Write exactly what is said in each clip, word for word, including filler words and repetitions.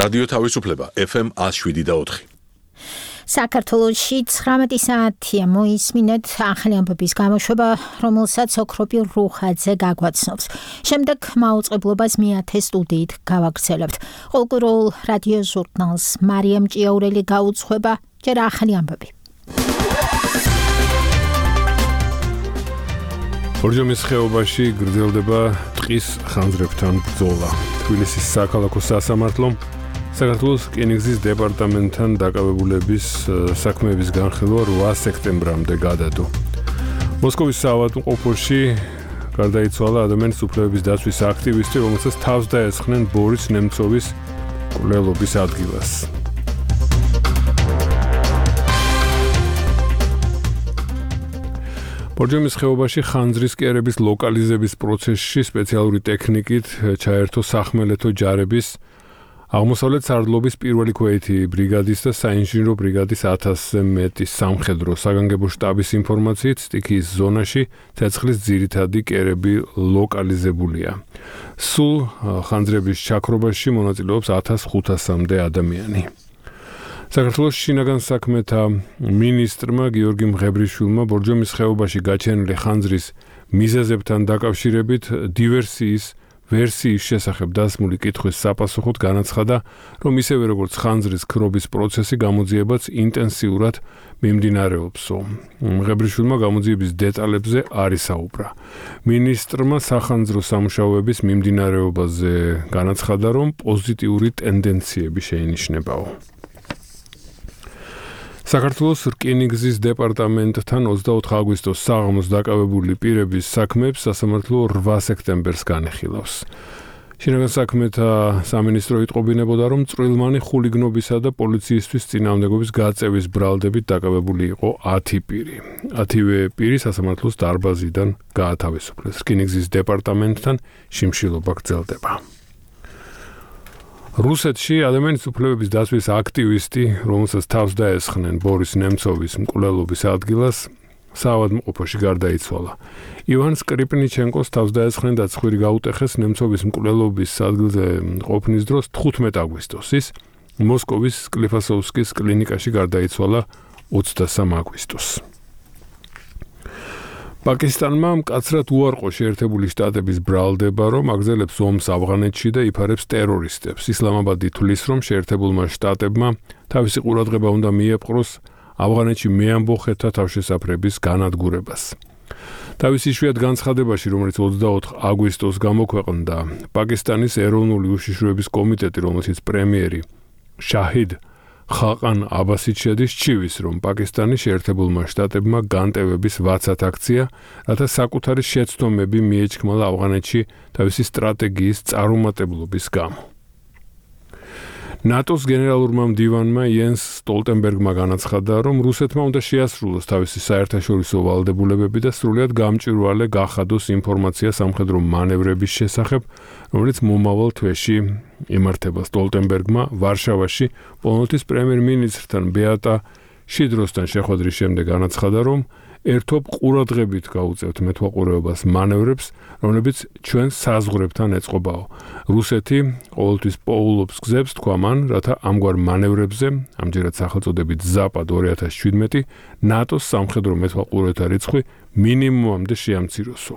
რადიო თავისუფლება ეფ ემ one oh seven point four. საქართველოში ცხრამეტი საათია მოისმინეთ ახალი ამბების გამოშვება, რომელსაც ოქროპი რუხაძე გაგვაცნობს. შემდეგ მაუწყებლობას მეათე სტუდიით გავაგრძელებთ. ყოველკვირეულ რადიო ჟურნალს მარიამ ჭიაურელი გაუძღვება. ჯერ ახალი ამბები. ბორჯომის ხეობაში გრძელდება ტყის ხანძრებთან ბრძოლა. თბილისის საქალაქო სასამართლომ საქართველოს რკინიგზის დეპარტამენტთან დაკავებულების საქმეების განხილვა რვა სექტემბრამდე გადადო. მოსკოვის საავადმყოფოში გარდაიცვალა ადამიანის უფლებების დაცვის აქტივისტი, რომელსაც თავს დაესხნენ ბორის ნემცოვის მკვლელობის ადგილას. ბორჯომის ხეობაში ხანძრის კერების ლოკალიზების პროცესში სპეციალური ტექნიკით ჩაერთო სახმელეთო ჯარების აღმოსავლეთ სარდლობის პირველი ქვეითი ბრიგადის და საინჟინრო ბრიგადის ათასზე მეტი სამხედრო საგანგებო შტაბის ინფორმაციით სტიქიის ზონაში ცეცხლის ძირითადი კერები ლოკალიზებულია. სულ ხანძრების ჩაქრობაში მონაწილეობს ათას ხუთასამდე ადამიანი. საქართველოს შინაგან საქმეთა მინისტრმა გიორგი მღებრიშვილმა ბორჯომის ხეობაში გაჩენილი ხანძრის მიზეზებთან დაკავშირებით დივერსიის ვერსიის შესახებ დასმული კითხვის საპასუხოდ განაცხადა, რომ ისევე როგორც ხანძრის ქრობის პროცესი გამოძიებაც ინტენსიურად მიმდინარეობსო. მღებრიშვილმა გამოძიების დეტალებზე არ ისაუბრა. მინისტრმა სახანძრო სამუშაოების მიმდინარეობაზე განაცხადა, რომ პოზიტიური ტენდენციები შეინიშნებაო. საქართველოს რკინიგზის დეპარტამენტთან ოცდაოთხ აგვისტოს საღამოს დაკავებული პირების საქმეებს სასამართლო რვა სექტემბერს განეხილავს. შინაგან საქმეთა სამინისტრო იტყობინებოდა, რომ წვრილმანი ხულიგნობისა და პოლიციისთვის წინააღმდეგობის გაწევის ბრალდებით დაკავებული იყო ათი პირი. ათივე პირი სასამართლოს დარბაზიდან გაათავისუფლეს. რკინიგზის დეპარტამენტთან შიმშილობა გრძელდება. რუსეთში ადამიანის უფლებების დაცვის აქტივისტი, რომელსაც თავს დაესხნენ ბორის ნემცოვის მკვლელობის ადგილას, საავადმყოფოში გარდაიცვალა. ივან სკრიპნიჩენკოს თავს დაესხნენ და ცხვირი გაუტეხეს ნემცოვის მკვლელობის ადგილზე ყოფნის დროს თხუთმეტ აგვისტოს. ის მოსკოვის სკლიფასოვსკის კლინიკაში გარდაიცვალა ოცდასამ აგვისტოს. პაკისტანმა მკაცრად უარყო შეერთებული შტატების ბრალდება, რომ აგრძელებს ომს ავღანეთში და იფარებს ტერორისტებს. ისლამაბადი თვლის, რომ შეერთებულმა შტატებმა თავისი ყურადღება უნდა მიეპყროს ავღანეთში მეამბოხეთა თავშესაფრების განადგურებას. თავის იშვიათ განცხადებაში, რომელიც ოცდაოთხ აგვისტოს გამოქვეყნდა, პაკისტანის ეროვნული უშიშროების კომიტეტი, რომელშიც პრემიერი შაჰიდ ხაყან აბასით შედის, ჩივის, რომ პაკისტანის შეერთებულმა შტატებმა განტევების ვაცად აქცია, რათა საკუთარი შეცდომები მიეჩქმალა ავღანეთში თავისი სტრატეგიის წარუმატებლობის გამო. ნატოს გენერალურმა მდივანმა იენს სტოლტენბერგმა განაცხადა, რომ რუსეთმა უნდა შეასრულოს თავისი საერთაშორისო ვალდებულებები და სრულიად გამჭვირვალე გახადოს ინფორმაცია სამხედრო მანევრების შესახებ, რომელიც მომავალ თვეში იმართება. სტოლტენბერგმა ვარშავაში პოლონეთის პრემიერ-მინისტრთან ბეატა შიდროსთან შეხვედრის შემდეგ განაცხადა, რომ ერთობ ყურადღებით გაუწევთ მეთვალყურეობას მანევრებს, რომლებიც ჩვენ საზღვრებთან ეწყობაო. რუსეთი ყოველთვის პოულობს გზებს, თქვა მან, რათა ამგვარ მანევრებზე, ამჯერად სახელწოდებით ზაპად ორი ათას შვიდმეტი, ნატოს სამხედრო მეთვალყურეთა რიცხვი მინიმუმამდე შეამციროსო.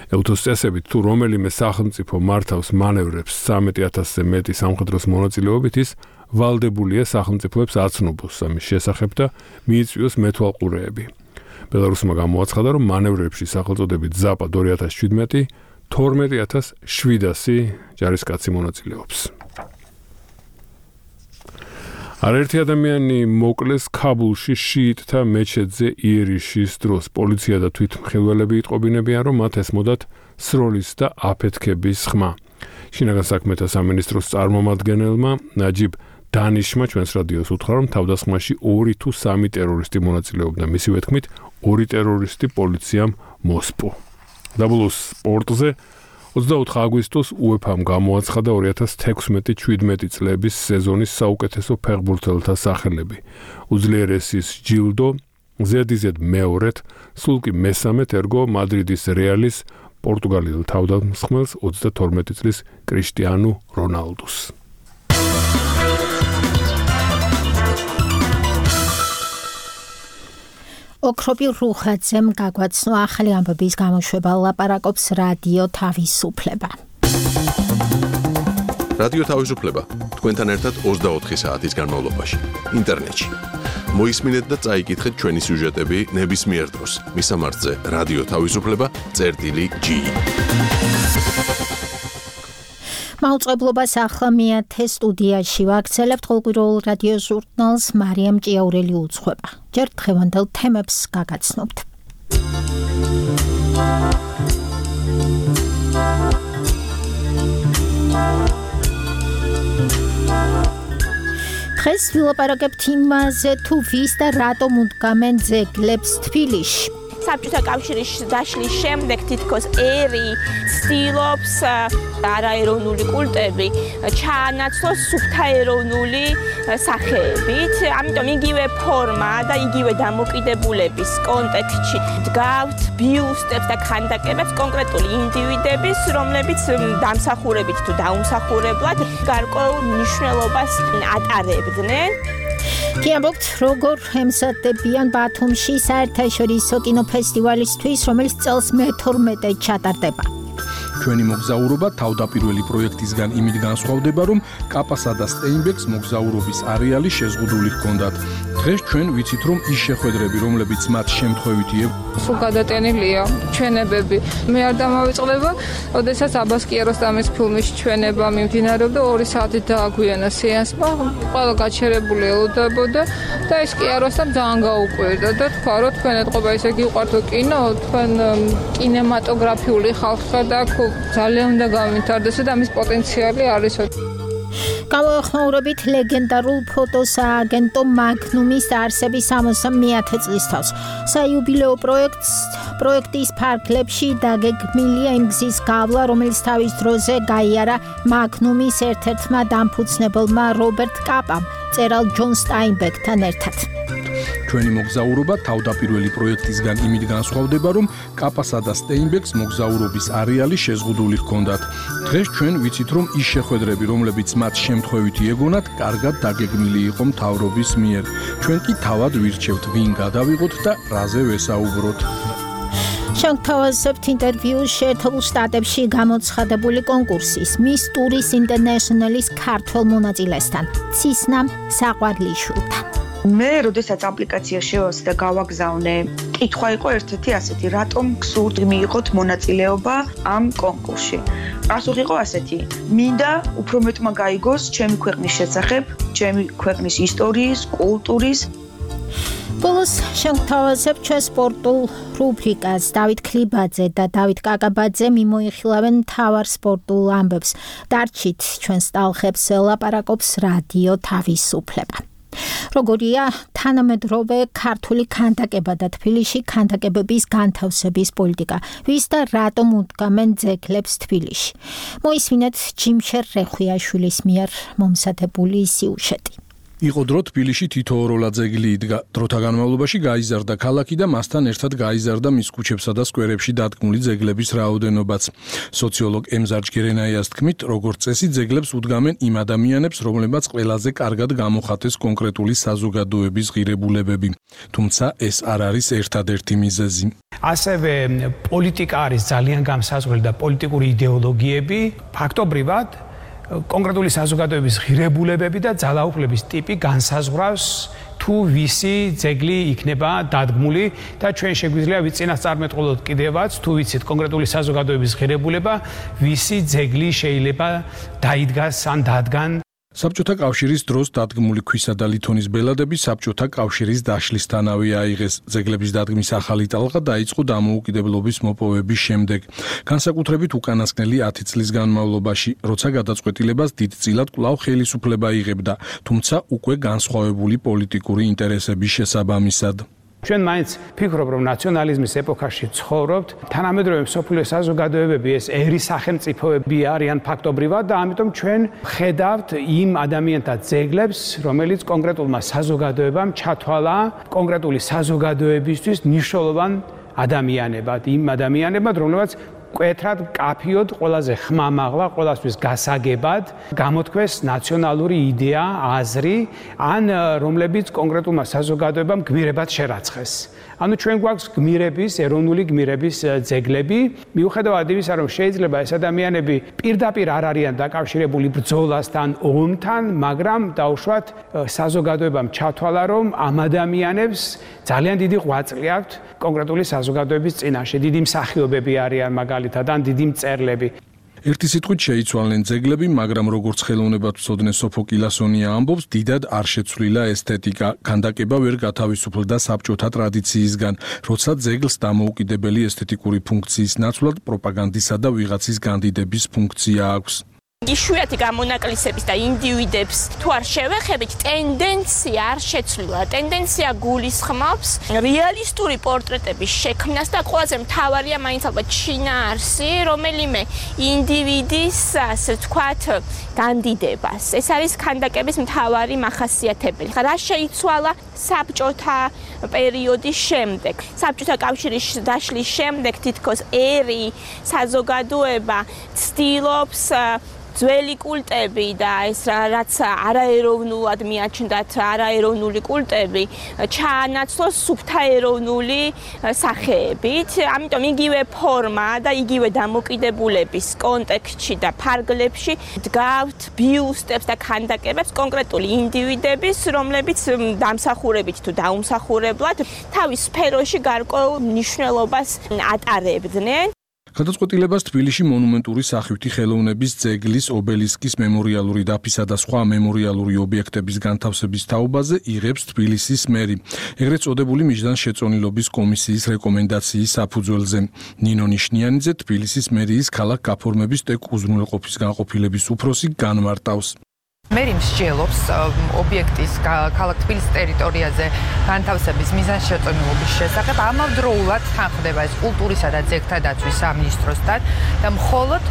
ევთოს წესებით, თუ რომელიმე სახელმწიფო მართავს მანევრებს ცხრამეტი ათასზე მეტი სამხედროს მონაწილეობით, ის ვალდებულია სახელმწიფოებს აცნობოს ამის შესახებ და მიიწვიოს მეთვალყურეები. ბელარუსმა გამოაცხადა, რომ მანევრებში სახელწოდებით ზაპად ორი ათას შვიდმეტი თორმეტი ათას შვიდასი ჯარისკაცი მონაწილეობს. არაერთი ადამიანი მოკლეს ქაბულში შიიტთა მეჩეთზე იერიშის დროს. პოლიცია და თვითმხილველები იტყობინებიან, რომ მათ ესმოდათ სროლის და აფეთქების ხმა. შინაგან საქმეთა სამინისტროს წარმომადგენელმა ნაჯიბ დანიშმა ჩვენს რადიოს უთხრა, რომ თავდასხმაში ორი თუ სამი ტერორისტი მონაწილეობდა. მისივე თქმით, ორი ტერორისტი პოლიციამ მოსპო. დაბლუს სპორტზე ოცდაოთხ აგვისტოს უეფამ გამოაცხადა ორი ათას თექვსმეტი შვიდმეტი წლების სეზონის საუკეთესო ფეხბურთელთა სახელები. უძლიერესის ჯილდო ზედიზედ მეორედ, სულ კი მესამედ ერგო მადრიდის რეალის პორტუგალიელ თავდამსხმელს ოცდათორმეტი წლის კრიშტიანუ რონალდუს. ოქროპირ რუხაძემ გაგვაცნო ახალი ამბების გამოშვება ლაპარაკობს რადიო თავისუფლება. რადიო თავისუფლება თქვენთან ერთად ოცდაოთხი საათის განმავლობაში ინტერნეტში. მოისმინეთ და წაიკითხეთ ჩვენი სიუჟეტები ნებისმიერ დროს. მისამართზე რადიო თავისუფლება წერტილი ჯი. მაუწყებლობას ახლა მეათე სტუდიაში ვაქცელებთ ყოველკვირეულ რადიო ჟურნალს მარიამ ჭიაურელი უძღვება. ჯერ დღევანდელ თემებს გაგაცნობთ. დღეს ვილაპარაკებთ იმაზე, თუ ვის და რატომ უდგამენ ძეგლებს თბილისში. საბჭოთა კავშირის დაშლის შემდეგ თითქოს ერი ცდილობს არაეროვნული კულტები ჩაანაცვლოს სუფთაეროვნული სახეებით, ამიტომ იგივე ფორმა და იგივე დამოკიდებულების კონტექსტში დგავთ ბიუსტებს და ქანდაკებებს კონკრეტული ინდივიდების, რომლებიც დამსახურებით თუ დაუმსახურებლად გარკვეულ მნიშვნელობას ატარებდნენ. გიამბობთ, როგორ ემზადებიან ბათუმში საერთაშორისო კინოფესტივალისთვის, რომელიც წელს მეთორმეტე ჩატარდება. ჩვენი მოგზაურობა თავდაპირველი პროექტისგან იმით განსხვავდება, რომ კაპასა და სტეინბეკს მოგზაურობის არეალი შეზღუდული ჰქონდათ. დღეს ჩვენ ვიცით, რომ ის შეხვედრები, რომლებიც მათ შემთხვევითი სულ გადატენილია ჩვენებები. მე არ დამავიწყდება, ოდესაც აბას კიაროსტამის ფილმის ჩვენება მიმდინარეობდა ორი საათით დააგვიანა სეანსმა, ყველა გაჩერებული ელოდებოდა და ეს კიაროსტამ ძალიან გაუკვირდა და თქვა, რომ თქვენ ეთყობა ისე გიყვართო კინო, თქვენ კინემატოგრაფიული ხალხი და ძალიან უნდა გავითარდეს და ამის პოტენციალი არის. გამოეხმაურებით ლეგენდარულ ფოტოსააგენტო მაგნუმის დაარსების სამოცდამეათე წლისთავს. საიუბილეო პროექტს პროექტის ფარგლებში დაგეგმილია იმ გზის გავლა, რომელიც თავის დროზე გაიარა მაგნუმის ერთ-ერთმა დამფუძნებელმა რობერტ კაპამ, მწერალ ჯონ სტაინბეკთან ერთად. ჩვენი მოგზაურობა თავდაპირველი პროექტისგან იმით განსხვავდება, რომ კაპასა და სტეინბეკს მოგზაურობის არეალი შეზღუდული ჰქონდათ. დღეს ჩვენ ვიცით, რომ ის შეხვედრები, რომლებიც მათ შემთხვევითი ეგონათ, კარგად დაგეგმილი იყო მთავრობის მიერ. ჩვენ კი თავად ვირჩევთ, ვინ გადავიღოთ და რაზე ვესაუბროთ. შევთავაზებთ ინტერვიუს შეერთებულ შტატებში გამოცხადებული კონკურსის Miss Tourist International-ის ქართველ მონაწილესთან, ცისნამ საყვარლიშვილთან. მე როდესაც აპლიკაცია შევასე და გავაგზავნე, კითხვა იყო ერთ-ერთი ასეთი, რატომ გსურთ მიიღოთ მონაწილეობა ამ კონკურსში. პასუხი იყო ასეთი, მინდა უფრო მეტმა გაიგოს ჩემი ქვეყნის შესახებ, ჩემი ქვეყნის ისტორიის, კულტურის. ბოლოს შევთავაზებთ ჩვენ სპორტულ რუბრიკას. დავით ქლიბაძე და დავით კაკაბაძე მიმოიხილავენ მთავარ სპორტულ ამბებს. დარჩით ჩვენს ტალხებს ლაპარაკობს რადიო თავისუფლება. როგორია თანამედროვე ქართული ქანდაკება და თბილისში ქანდაკებების განთავსების პოლიტიკა, ვის და რატომ უდგამენ ძეგლებს თბილისში. მოისმინეთ ჯიმშერ რეხვიაშვილის მიერ მომზადებული სიუჟეტი. იყო დრო თბილისში თითოეულა ძეგლი იდგა. დროთა განმავლობაში გაიზარდა ქალაქი და მასთან ერთად გაიზარდა მის ქუჩებსა და სკვერებში დადგმული ძეგლების რაოდენობაც. სოციოლოგ ემზარ ჯგერენაიას თქმით, როგორც წესი ძეგლებს უდგამენ იმ ადამიანებს, რომლებმაც ყველაზე კარგად გამოხატეს კონკრეტული საზოგადოების ღირებულებები. თუმცა ეს არ არის ერთადერთი მიზეზი. ასევე პოლიტიკა არის ძალიან განსაზღვრელი და პოლიტიკური იდეოლოგიები ფაქტობრივად კონკრეტული საზოგადოების ღირებულებები და ძალაუფლების ტიპი განსაზღვრავს თუ ვისი ძეგლი იქნება დადგმული და ჩვენ შეგვიძლია ვიწინასწარმეტყველოთ კიდევაც თუ ვიცით კონკრეტული საზოგადოების ღირებულება ვისი ძეგლი შეიძლება დაიდგას ან დადგან. საბჭოთა კავშირის დროს დადგმული ქვისა და ლითონის ბელადები საბჭოთა კავშირის დაშლისთანავე აიღეს. ძეგლების დადგმის ახალი ტალღა დაიწყო დამოუკიდებლობის მოპოვების შემდეგ. განსაკუთრებით უკანასკნელი ათი წლის განმავლობაში, როცა გადაწყვეტილებას დიდწილად კვლავ ხელისუფლება იღებდა, თუმცა უკვე განსხვავებული პოლიტიკური ინტერესების შესაბამისად. ჩვენ მაინც ვფიქრობ, რომ ნაციონალიზმის ეპოქაში ცხოვრობთ, თანამედროვე მსოფლიო საზოგადოებები ეს ერი სახელმწიფოები არიან ფაქტობრივად და ამიტომ ჩვენ ხედავთ იმ ადამიანთა ძეგლებს, რომელიც კონკრეტულმა საზოგადოებამ ჩათვალა კონკრეტული საზოგადოებისთვის მნიშვნელოვან ადამიანებად, იმ ადამიანებად, რომლებიც კვეთრად, კაფიოდ, ყველაზე ხმამაღლა, ყველასთვის გასაგებად გამოთქვეს ნაციონალური იდეა, აზრი, ან რომლებიც კონკრეტულმა საზოგადოებამ გმირებად შერაცხეს. ანუ ჩვენ გვაქვს გმირების, ეროვნული გმირების ძეგლები, მიუხედავად იმისა, რომ შეიძლება ეს ადამიანები პირდაპირ არ არიან დაკავშირებული ბრძოლასთან, ომთან, მაგრამ დაუშვათ საზოგადოებამ ჩათვალა, რომ ამ ადამიანებს ძალიან დიდი ღვაწლი აქვთ კონკრეტული საზოგადოების წინაშე, დიდი მსახიობები არიან მაგალითად, ან დიდი მწერლები. ერთი სიტყვით შეიცვალნენ ძეგლები, მაგრამ როგორც ხელოვნებად ვწოდნენ სოფო კილასონია ამბობს, დიდად არ შეცვლილა ესთეტიკა. ქანდაკება ვერ გათავისუფლდა საბჭოთა ტრადიციისგან, როცა ძეგლს დამოუკიდებელი ესთეტიკური ფუნქციის ნაცვლად პროპაგანდისა და ვიღაცის განდიდების ფუნქცია აქვს. იშვიათი გამონაკლისების და ინდივიდებს თუ არ შევეხებით, ტენდენცია არ შეცვლილა. ტენდენცია გულისხმობს რეალისტური პორტრეტების შექმნას და ყველაზე მთავარია მაინც ალბათ შინაარსი, რომელიმე ინდივიდის, ასე ვთქვათ, განდიდებას. ეს არის ქანდაკების მთავარი მახასიათებელი. რა შეიცვალა საბჭოთა პერიოდის შემდეგ? საბჭოთა კავშირის დაშლის შემდეგ თითქოს ერი, საზოგადოება ცდილობს ძველი კულტები და ეს რაც არაეროვნულად მიაჩნდათ არაეროვნული კულტები ჩაანაცვლოს სუბთაეროვნული სახეებით. ამიტომ იგივე ფორმა და იგივე დამოკიდებულების კონტექსტში და ფარგლებში დგავთ ბიუსტებს და ქანდაკებებს კონკრეტული ინდივიდების, რომლებიც დამსახურებით თუ დაუმსახურებლად თავის სფეროში გარკვეულ მნიშვნელობას ატარებდნენ. გადაწყვეტილებას თბილისში მონუმენტური სახვითი ხელოვნების ძეგლის, ობელისკის მემორიალური დაფისა და სხვა მემორიალური ობიექტების განთავსების თაობაზე იღებს თბილისის მერი, ეგრეთ წოდებული მიზანშეწონილობის კომისიის რეკომენდაციის საფუძველზე. ნინო ნიშნიანიძე თბილისის მერიის ქალაქ გაფორმების ტეკ უზრუნველყოფის განყოფილების უფროსი განმარტავს. მერი მსჯელობს ობიექტის ქალაქ თბილისის ტერიტორიაზე განთავსების მიზანშეწონილობის შესახებ. ამავდროულად თანხდება ეს კულტურისა და ძეგლთა დაცვის სამინისტროსთან და მხოლოდ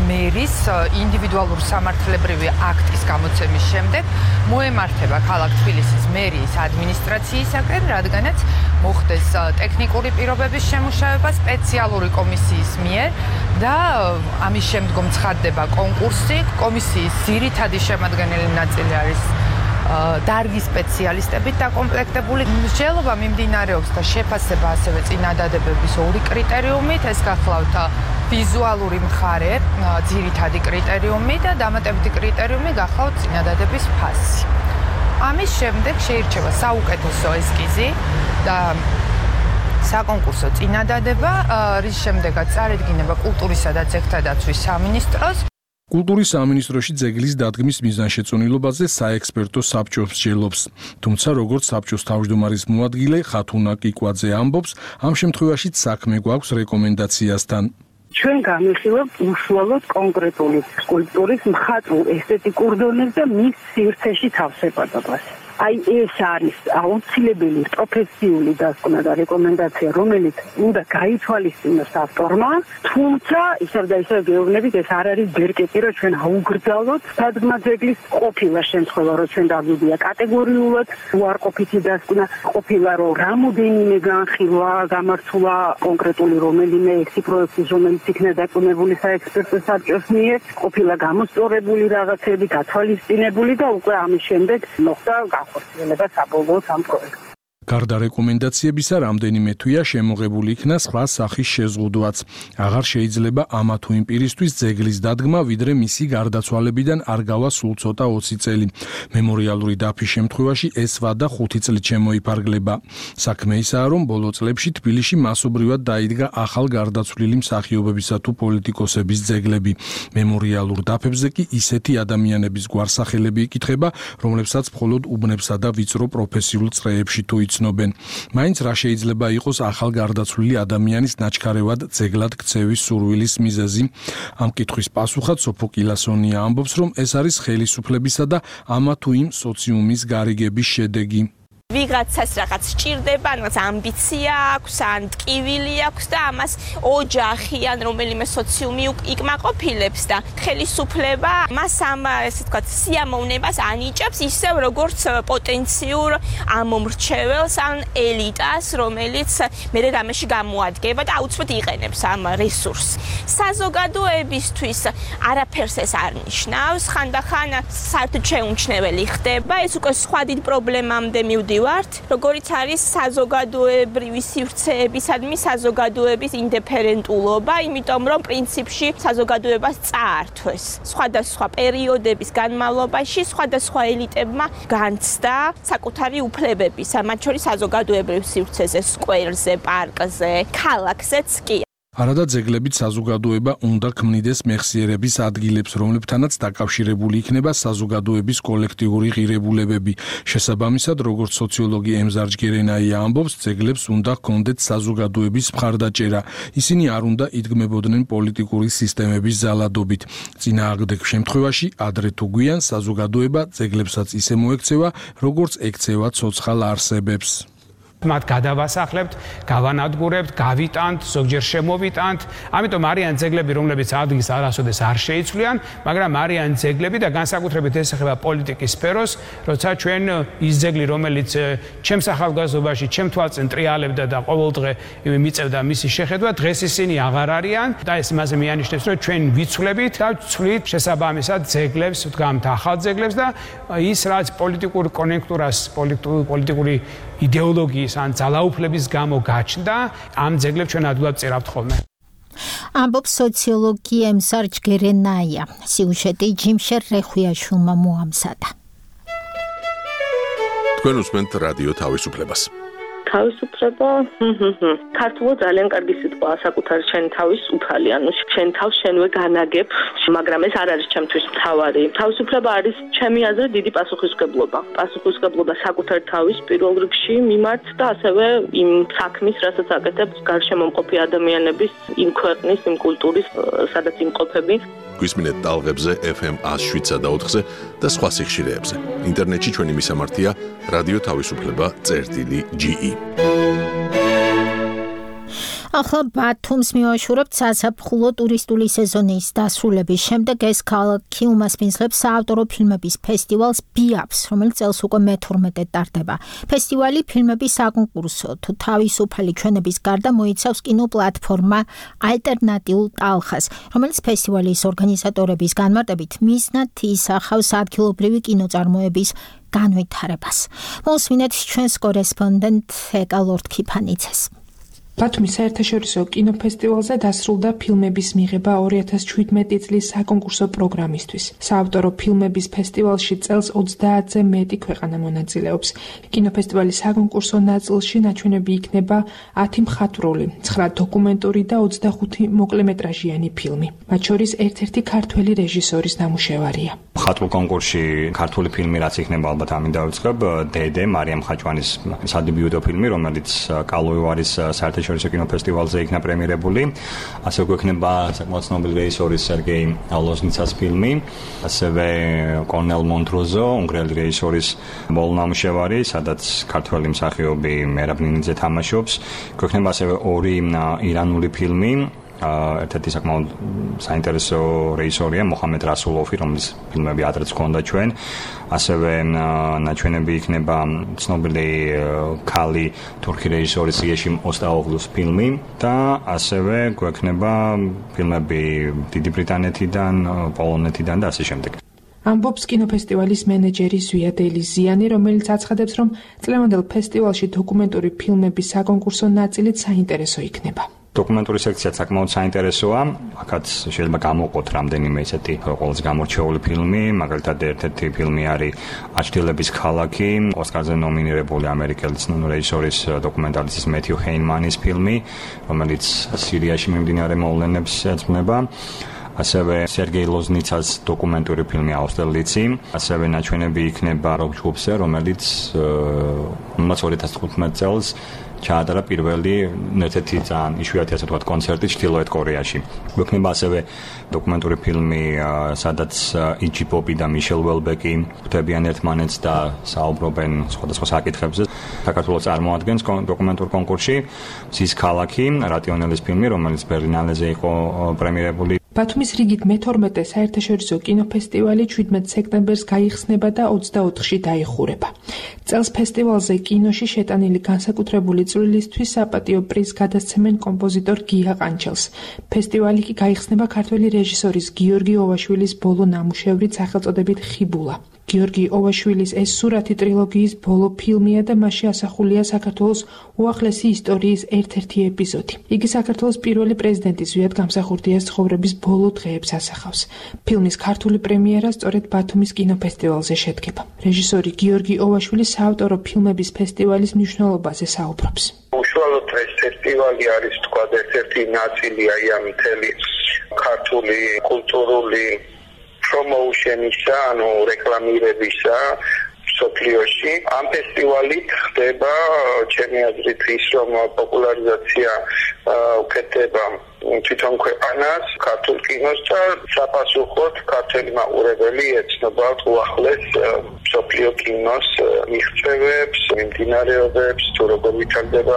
მერის ინდივიდუალურ სამართლებრივი აქტის გამოცემის შემდეგ მოემართება ქალაქ თბილისის მერიის ადმინისტრაციისაკენ, რადგანაც მოხდეს ტექნიკური პირობების შემუშავება სპეციალური კომისიის მიერ და ამის შემდგომ ცხადდება კონკურსი. კომისიის ძირითადი შემადგენელი ნაწილი არის დარგის სპეციალისტებით დაკომპლექტებული. მსჯელობა მიმდინარეობს და შეფასება ასევე წინადადებების ორი კრიტერიუმით, ეს გახლავთ ვიზუალური მხარე, ძირითადი კრიტერიუმი და დამატებითი კრიტერიუმი გახლავთ წინადადების ფასი. ამის შემდეგ შეირჩევა საუკეთესო ესკიზი და საკონკურსო წინადადება, რის შემდეგაც წარედგინება კულტურისა და ძეგლთა დაცვის სამინისტროს. კულტურის სამინისტროში ძეგლის დადგმის მიზანშეწონილობაზე საექსპერტო საბჭო მსჯელობს. თუმცა როგორც საბჭოს თავმჯდომარის მოადგილე ხათუნა კიკვაძე ამბობს, ამ შემთხვევაშიც საქმე გვაქვს რეკომენდაციასთან. ჩვენ განვიხილავთ უშუალოდ კონკრეტული სკულპტურის მხატვრულ ესთეტიკურ დონეს და მის სივრცეში თავსებადობას. აი ეს არის აუცილებელი პროფესიული დასკვნა და რეკომენდაცია, რომელიც უნდა გაითვალისწინოს ავტორმა, თუმცა ისევ და ისევ გეუბნებით, ეს არ არის ბერკეტი, რომ ჩვენ აუგრძალოთ დადგმა ძეგლის ყოფილა შემთხვევა, რომ ჩვენ დაგვიდია კატეგორიულად უარყოფითი დასკვნა, ყოფილა რომ რამოდენიმე განხილვა გამართულა კონკრეტული რომელიმე ექსი პროექტის, რომელიც იქნა დაკონებული საექსპერტო საბჭოს მიერ, ყოფილა გამოსწორებული რაღაცები, გათვალისწინებული და უკვე ამის შემდეგ მოხდა ხორციელება საბოლოო სამ პროექტს. გარდა რეკომენდაციებისა, რამდენიმე თვეა შემოღებული იქნა სხვა სახის შეზღუდვაც. აღარ შეიძლება ამა თუ იმ პირისთვის ძეგლის დადგმა, ვიდრე მისი გარდაცვალებიდან არ გავა სულ ცოტა ოცი წელი. მემორიალური დაფის შემთხვევაში ეს ვადა ხუთი წლით შემოიფარგლება. საქმე ისაა, რომ ბოლო წლებში თბილისში მასობრივად დაიდგა ახალ გარდაცვლილი მსახიობებისა თუ პოლიტიკოსების ძეგლები. მემორიალურ დაფებზე კი ისეთი ადამიანების გვარსახელები იკითხება, რომლებსაც მხოლოდ უბნებსა და ვიწრო პროფესიულ წრეებში თუ იცნობენ. მაინც რა შეიძლება იყოს ახალ გარდაცვლილი ადამიანის ნაჩქარევად ძეგლად ქცევის სურვილის მიზეზი? ამ კითხვის პასუხად სოფო კილასონია ამბობს, რომ ეს არის ხელისუფლებისა და ამა თუ იმ სოციუმის გარიგების შედეგი. ვიღაცას რაღაც სჭირდება, რაღაც ამბიცია აქვს, ან ტკივილი აქვს და ამას ოჯახი ან რომელიმე სოციუმი იკმაყოფილებს და ხელისუფლება მას ამ ესე ვთქვათ სიამოვნებას ანიჭებს ისევ როგორც პოტენციურ ამომრჩეველს ან ელიტას, რომელიც მერე რამეში გამოადგება და აუცილებლად იყენებს ამ რესურსს. საზოგადოებისთვის არაფერს ეს არ ნიშნავს, ხანდახან საერთოდ შეუმჩნეველი ხდება, ეს უკვე სხვა დიდ პრობლემამდე მივდივართ, როგორიც არის საზოგადოებრივი სივრცეებისადმი საზოგადოების ინდიფერენტულობა, იმიტომ რომ პრინციპში საზოგადოებას წაართვეს. სხვადასხვა პერიოდების განმავლობაში სხვადასხვა ელიტებმა განცდა საკუთარი უფლებები, მათ შორის საზოგადოებრივ სივრცეზე, სკვერზე, პარკზე, ქალაქზეც კი. არადა ძეგლებით საზოგადოება უნდა ქმნიდეს მეხსიერების ადგილებს, რომლებთანაც დაკავშირებული იქნება საზოგადოების კოლექტიური ღირებულებები. შესაბამისად, როგორც სოციოლოგი ემზარ ჯგერენაია ამბობს, ძეგლებს უნდა ჰქონდეთ საზოგადოების მხარდაჭერა. ისინი არ უნდა იდგმებოდნენ პოლიტიკური სისტემების ზალადობით. წინააღმდეგ შემთხვევაში, ადრე თუ გვიან საზოგადოება ძეგლებსაც ისე მოექცევა, როგორც ექცევა ცოცხალ არსებებს. მათ გადავასახლებთ, გავანადგურებთ, გავიტანთ, ზოგჯერ შემოვიტანთ. ამიტომ არიან ძეგლები, რომლებიც ადგილს არასოდეს არ შეიცვლიან, მაგრამ არიან ძეგლები და განსაკუთრებით ეს ეხება პოლიტიკის სფეროს, როცა ჩვენ ის ძეგლი, რომელიც ჩემს ახალგაზრდობაში, ჩემ თვალწინ ტრიალებდა და ყოველდღე მიწევდა მისი შეხედვა, დღეს ისინი აღარ არიან და ეს იმაზე მიანიშნებს, რომ ჩვენ ვიცვლებით და ვცვლით შესაბამისად ძეგლებს, ვდგამთ ახალ ძეგლებს და ის რაც პოლიტიკურ კონექტურას, პოლიტიკური იდეოლოგიის ან ძალაუფლების გამო გაჩნდა, ამ ძეგლებს ჩვენ ადვილად წირავთ ხოლმე. ამბობს სოციოლოგი ემზარ ჯგერენაია. სიუჟეტი ჯიმშერ რეხვიაშვილმა მოამზადა. თქვენ უსმენთ რადიო თავისუფლებას. თავისუფლება, ქართულად ძალიან კარგი სიტყვაა, საკუთარი შენ თავის უფალი, ანუ შენ თავს შენვე განაგებ, მაგრამ ეს არ არის ჩემთვის მთავარი. თავისუფლება არის ჩემი აზრით დიდი პასუხისმგებლობა. პასუხისმგებლობა საკუთარ თავის პირველ რიგში მიმართ და ასევე იმ საქმის, რასაც აკეთებს გარშემომყოფი ადამიანების, იმ ქვეყნის, იმ კულტურის, სადაც იმყოფები. გვისმინეთ ტალღებზე ეფ ემ ათს შვიდსა და ოთხზე და სხვა სიხშირეებზე. ინტერნეტში ჩვენი მისამართია რადიო თავისუფლება წერტილი ჯი ი. ახლა ბათუმს მივაშურებთ საზაფხულო ტურისტული სეზონის დასრულების შემდეგ ეს ქალაქი უმასპინძლებს საავტორო ფილმების ფესტივალს ბიაფს, რომელიც წელს უკვე მეთორმეტედ ტარდება. ფესტივალი ფილმების საკონკურსო თუ თავისუფალი ჩვენების გარდა მოიცავს კინოპლატფორმა ალტერნატიულ ტალხას, რომელიც ფესტივალის ორგანიზატორების განმარტებით მიზნად ისახავს ადგილობრივი კინოწარმოების განვითარებას. მოსმინეთ ჩვენს კორესპონდენტ ეკა ლორდ-ქიფანიძეს. ბათუმის საერთაშორისო კინოფესტივალზე დასრულდა ფილმების მიღება ორი ათას შვიდმეტი წლის საკონკურსო პროგრამისთვის. საავტორო ფილმების ფესტივალში წელს ოცდაათზე მეტი ქვეყანა მონაწილეობს. კინოფესტივალის საკონკურსო ნაწილში ნაჩვენები იქნება ათი მხატვრული, ცხრა დოკუმენტური და ოცდახუთი მოკლემეტრაჟიანი ფილმი. მათ შორის ერთ-ერთი ქართველი რეჟისორის ნამუშევარია. მხატვრულ კონკურსში ქართული ფილმი რაც იქნება ალბათ ამინ დავიწყებ, დედე მარიამ ხაჭვანის სადებიუტო ფილმი, რომელიც კალოევარის საერთაშორისო კინოფესტივალზე იქნა პრემიერებული. ასევე გვექნება საკმაოდ ცნობილი რეჟისორის სერგეი ლოზნიცას ფილმი, ასევე კორნელ მონტროზო, უნგრელი რეჟისორის მოლნამუშევარი, სადაც ქართველი მსახიობი მერაბ ნინიძე თამაშობს. გვექნება ასევე ორი ირანული ფილმი. ერთ-ერთი საკმაოდ საინტერესო რეჟისორია მოხამედ რასულოვი, რომლის ფილმები ადრეც ჰქონდა ჩვენ. ასევე ნაჩვენები იქნება ცნობილი ქალი თურქი რეჟისორის იეშიმ ოსტაოღლუს ფილმი და ასევე გვექნება ფილმები დიდი ბრიტანეთიდან, პოლონეთიდან და ასე შემდეგ. ამბობს კინოფესტივალის მენეჯერი ზვია დელიზიანი, რომელიც აცხადებს, რომ წლევანდელ ფესტივალში დოკუმენტური ფილმების საკონკურსო ნაწილით საინტერესო იქნება. დოკუმენტური სექცია საკმაოდ საინტერესოა. აქაც შეიძლება გამოვყოთ რამდენიმე ისეთი ყველაზე გამორჩეული ფილმი, მაგალითად ერთ-ერთი ფილმი არის აჩრდილების ქალაქი, ოსკარზე ნომინირებული ამერიკელი ცნობილი რეჟისორის დოკუმენტალისტის მეთიუ ჰეინმანის ფილმი, რომელიც სირიაში მიმდინარე მოვლენებს ეძღვნება. ასევე სერგეი ლოზნიცას დოკუმენტური ფილმი აუსტერლიცი, ასევე ნაჩვენები იქნება როკ ჯგუფზე, რომელიც რომელიც ორი ათას თხუთმეტ წელს ჩაატარა პირველი ერთ-ერთი ძალიან იშვიათი ასე ვთქვათ კონცერტი ჩრდილოეთ კორეაში. გვექნება ასევე დოკუმენტური ფილმი, სადაც იჯი პოპი და მიშელ ველბეკი ხვდებიან ერთმანეთს და საუბრობენ სხვადასხვა საკითხებზე. საქართველოს წარმოადგენს დოკუმენტურ კონკურსში მზის ქალაქი, რატიონელის ფილმი, რომელიც ბერლინალეზე იყო პრემიერებული. ბათუმის რიგით მეთორმეტე საერთაშორისო კინოფესტივალი შვიდმეტ სექტემბერს გაიხსნება და ოცდაოთხში დაიხურება. წელს ფესტივალზე კინოში შეტანილი განსაკუთრებული წვლილისთვის საპატიო პრიზს გადასცემენ კომპოზიტორ გია ყანჩელს. ფესტივალი კი გაიხსნება ქართველი რეჟისორის გიორგი ოვაშვილის ბოლო ნამუშევრით სახელწოდებით ხიბულა. გიორგი ოვაშვილის ეს სურათი ტრილოგიის ბოლო ფილმია და მასში ასახულია საქართველოს უახლესი ისტორიის ერთ-ერთი ეპიზოდი. იგი საქართველოს პირველი პრეზიდენტის ზვიად გამსახურდიას ცხოვრების ბოლო დღეებს ასახავს. ფილმის ქართული პრემიერა სწორედ ბათუმის კინოფესტივალზე შედგება. რეჟისორი გიორგი ოვაშვილი საავტორო ფილმების ფესტივალის მნიშვნელობაზე საუბრობს. უშუალოდ ეს ფესტივალი არის თქვა ერთ-ერთი ნაწილი აი ამ მთელი ქართული კულტურული პრომოუშენისა, ანუ რეკლამირებისა სოფლიოში. ამ ფესტივალით ხდება ჩემი აზრით ის, რომ პოპულარიზაცია უკეთდება თვითონ ქვეყანას, ქართულ კინოს და საპასუხოდ ქართული მაყურებელი ეცნობათ უახლეს სოფლიო კინოს მიღწევებს, მიმდინარეობებს, თუ როგორ ვითარდება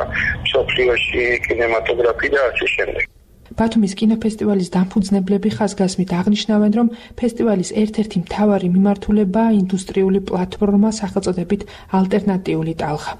სოფლიოში კინემატოგრაფი და ასე შემდეგ. ბათუმის კინოფესტივალის დამფუძნებლები ხაზგასმით აღნიშნავენ, რომ ფესტივალის ერთ-ერთი მთავარი მიმართულებაა ინდუსტრიული პლატფორმა სახელწოდებით ალტერნატიული ტალღა,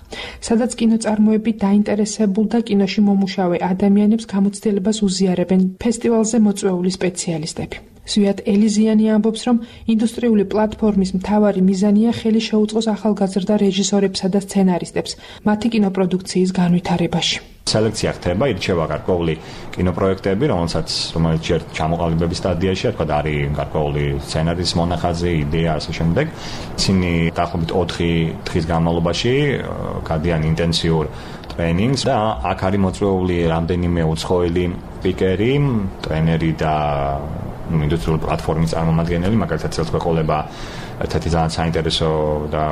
სადაც კინოწარმოები დაინტერესებულ და კინოში მომუშავე ადამიანებს გამოცდილებას უზიარებენ ფესტივალზე მოწვეული სპეციალისტები. ზვიად ელიზიანი ამბობს, რომ ინდუსტრიული პლატფორმის მთავარი მიზანია ხელი შეუწყოს ახალგაზრდა რეჟისორებსა და სცენარისტებს მათი კინოპროდუქციის განვითარებაში. სელექცია ხდება, ირჩევა გარკვეული კინოპროექტები, რომელსაც რომელიც ჯერ ჩამოყალიბების სტადიაშია, თქვა არის გარკვეული სცენარის მონახაზი, იდეა ასე შემდეგ. ისინი დაახლოებით ოთხი დღის განმავლობაში გადიან ინტენსიურ ტრენინგს და აქ არის მოწვეული რამდენიმე უცხოელი სპიკერი, ტრენერი და ინდუსტრიული პლატფორმის წარმომადგენელი, მაგალითად წელს გვეყოლება ერთ-ერთი ძალიან საინტერესო და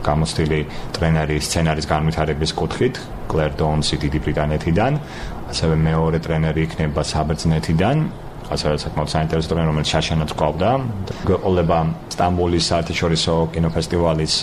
გამოცდილი ტრენერი სცენარის განვითარების კუთხით, კლერ დონსი დიდი ბრიტანეთიდან, ასევე მეორე ტრენერი იქნება საბერძნეთიდან, ასევე საკმაოდ საინტერესო ტრენერი, რომელიც შაშანაც ყავდა. გვეყოლება სტამბოლის საერთაშორისო კინოფესტივალის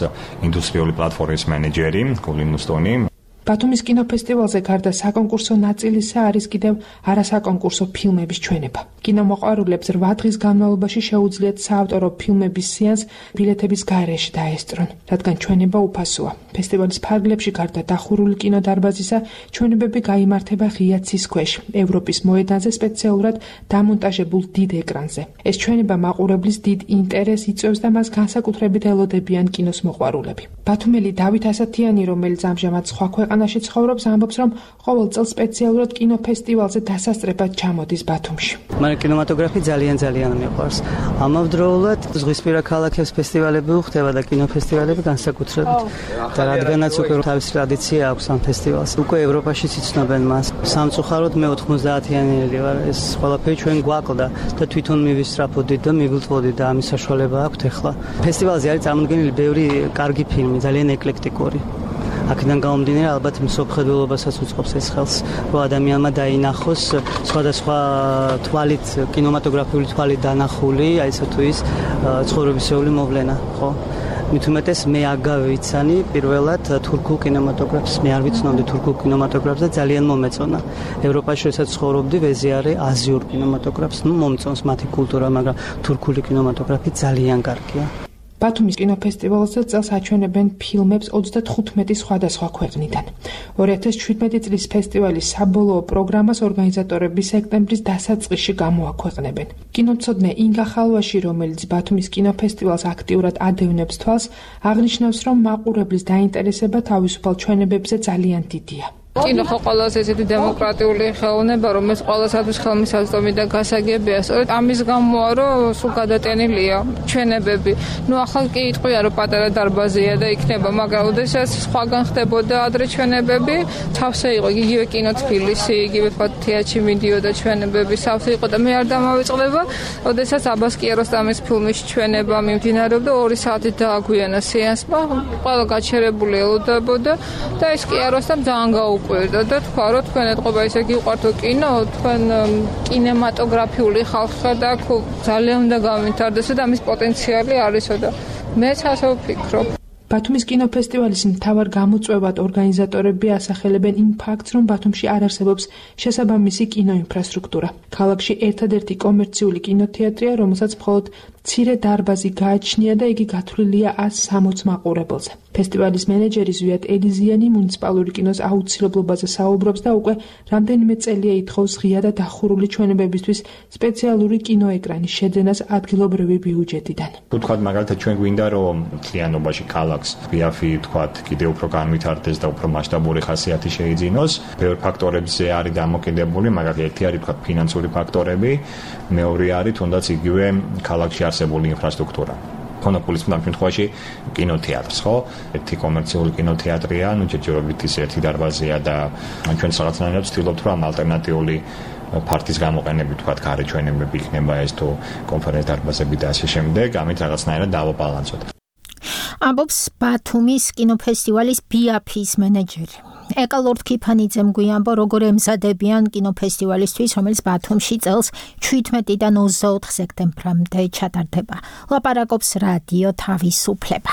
ინდუსტრიული პლატფორმის მენეჯერი, გულინ მუსტონი. ბათუმის კინოფესტივალზე გარდა საკონკურსო ნაწილისა არის კიდევ არასაკონკურსო ფილმების ჩვენება. კინომოყვარულებს რვა დღის განმავლობაში შეუძლიათ საავტორო ფილმების სეანს ბილეთების გარეშე დაესწრონ, რადგან ჩვენება უფასოა. ფესტივალის ფარგლებში გარდა დახურული კინოდარბაზისა, ჩვენებები გაიმართება ღია ცის ქვეშ, ევროპის მოედანზე სპეციალურად დამონტაჟებულ დიდ ეკრანზე. ეს ჩვენება მაყურებლის დიდ ინტერესს იწვევს და მას განსაკუთრებით ელოდებიან კინოს მოყვარულები. ბათუმელი დავით ასათიანი, რომელიც ამჟამად სხვა ქვეყანაში ცხოვრობს, ამბობს, რომ ყოველ წელს სპეციალურად კინოფესტივალზე დასასწრებად ჩამოდის ბათუმში. მან კინემატოგრაფი ძალიან ძალიან მიყვარს. ამავდროულად ზღვისპირა ქალაქებს ფესტივალები უხდება და კინოფესტივალები განსაკუთრებით. და რადგანაც უკვე თავისი ტრადიცია აქვს ამ ფესტივალს, უკვე ევროპაშიც იცნობენ მას. სამწუხაროდ მე ოთხმოცდაათიანელი ვარ, ეს ყველაფერი ჩვენ გვაკლდა და თვითონ მივისწრაფოდით და მივილწვოდით და ამის საშუალება აქვს ახლა. ფესტივალზე არის წარმოდგენილი ბევრი კარგი ფილმი, ძალიან ეკლექტიკური. აქედან გამომდინარე ალბათ მსოფლმხედველობასაც უწყობს ეს ხელს, რომ ადამიანმა დაინახოს სხვადასხვა თვალით, კინემატოგრაფიული თვალით დანახული, აი ესე თუ ის ცხოვრებისეული მოვლენა, ხო? მით უმეტეს მე აგავიცანი პირველად თურქულ კინემატოგრაფს, მე არ ვიცნობდი თურქულ კინემატოგრაფს და ძალიან მომეწონა. ევროპაში როდესაც ცხოვრობდი, ვეზიარე აზიურ კინემატოგრაფს, ნუ მომწონს მათი კულტურა, მაგრამ თურქული კინემატოგრაფი ძალიან კარგია. ბათუმის კინოფესტივალზე წელს აჩვენებენ ფილმებს ოცდათხუთმეტი სხვადასხვა ქვეყნიდან. ორი ათას შვიდმეტი წლის ფესტივალის საბოლოო პროგრამას ორგანიზატორები სექტემბრის დასაწყისში გამოაქვეყნებენ. კინომცოდნე ინგა ხალვაში, რომელიც ბათუმის კინოფესტივალს აქტიურად ადევნებს თვალს, აღნიშნავს, რომ მაყურებლის დაინტერესება თავისუფალ ჩვენებებზე ძალიან დიდია. კინო ხო ყველაზე ესეთი დემოკრატიული ხელოვნება, რომელიც ყველასათვის ხელმისაწვდომი და გასაგებია. სწორედ ამის გამოა, რომ სულ გადატენილია ჩვენებები. ნუ ახლა კი იტყვია, რომ პატარა დარბაზია და იქნება, მაგრამ ოდესაც სხვაგან ხდებოდა ადრე ჩვენებები, თავსე იყო იგივე კინო თბილისი, იგივე თეატრში მიდიოდა ჩვენებები, სავსე იყო და მე არ დამავიწყდება, ოდესაც აბას კიაროსტამის ფილმის ჩვენება მიმდინარეობდა ორი საათით დააგვიანა სეანსმა, ყველა გაჩერებული ელოდებოდა და ეს კიაროსტამ ძალიან გაუკვირდა და თქვა, რომ თქვენ ეთყობა ისე გიყვართო კინო, თქვენ კინემატოგრაფიული ხალხი და ძალიან უნდა გავითარდეს და ამის პოტენციალი არისო და მეც ასე ვფიქრობ. ბათუმის კინოფესტივალის მთავარ გამოწვევად ორგანიზატორები ასახელებენ იმ ფაქტს, რომ ბათუმში არ არსებობს შესაბამისი კინოინფრასტრუქტურა. ქალაქში ერთადერთი კომერციული კინოთეატრია, რომელსაც მხოლოდ მცირე დარბაზი გააჩნია და იგი გათვლილია ას სამოც მაყურებელზე. ფესტივალის მენეჯერი ზვიად ელიზიანი მუნიციპალური კინოს აუცილებლობაზე საუბრობს და უკვე რამდენიმე წელია ითხოვს ღია და დახურული ჩვენებებისთვის სპეციალური კინოეკრანის შეძენას ადგილობრივი ბიუჯეტიდან. Თქვათ მაგალითად ჩვენ გვინდა რომ მთლიანობაში ქალაქს ბიაფი თქვათ კიდევ უფრო განვითარდეს და უფრო მასშტაბური ხასიათი შეიძინოს. ბევრ ფაქტორებზე არის დამოკიდებული, მაგალითად ერთი არის თქვათ ფინანსური ფაქტორები, მეორე არის თუნდაც იგივე ქალაქში არსებული ინფრასტრუქტურა. მონოპოლის ამ შემთხვევაში კინოთეატრს, ხო? ერთი კომერციული კინოთეატრია, ну ჯერჯერობით ის ერთი დარბაზია და ჩვენ რაღაცნაირად ვცდილობთ რომ ალტერნატიული ფარტის გამოყენებით თქვათ გარეჩვენებები იქნება ეს თუ კონფერენცია დარბაზები და ასე შემდეგ, ამით რაღაცნაირად დავაბალანსოთ. ამბობს ბათუმის კინოფესტივალის ბიაფის მენეჯერი. ეკალორდ ქიფანიძემ გვიამბო, როგორ ემზადებიან კინოფესტივალისთვის, რომელიც ბათუმში წელს შვიდმეტიდან ოცდაოთხ სექტემბრამდე ჩატარდება. ლაპარაკობს რადიო თავისუფლება.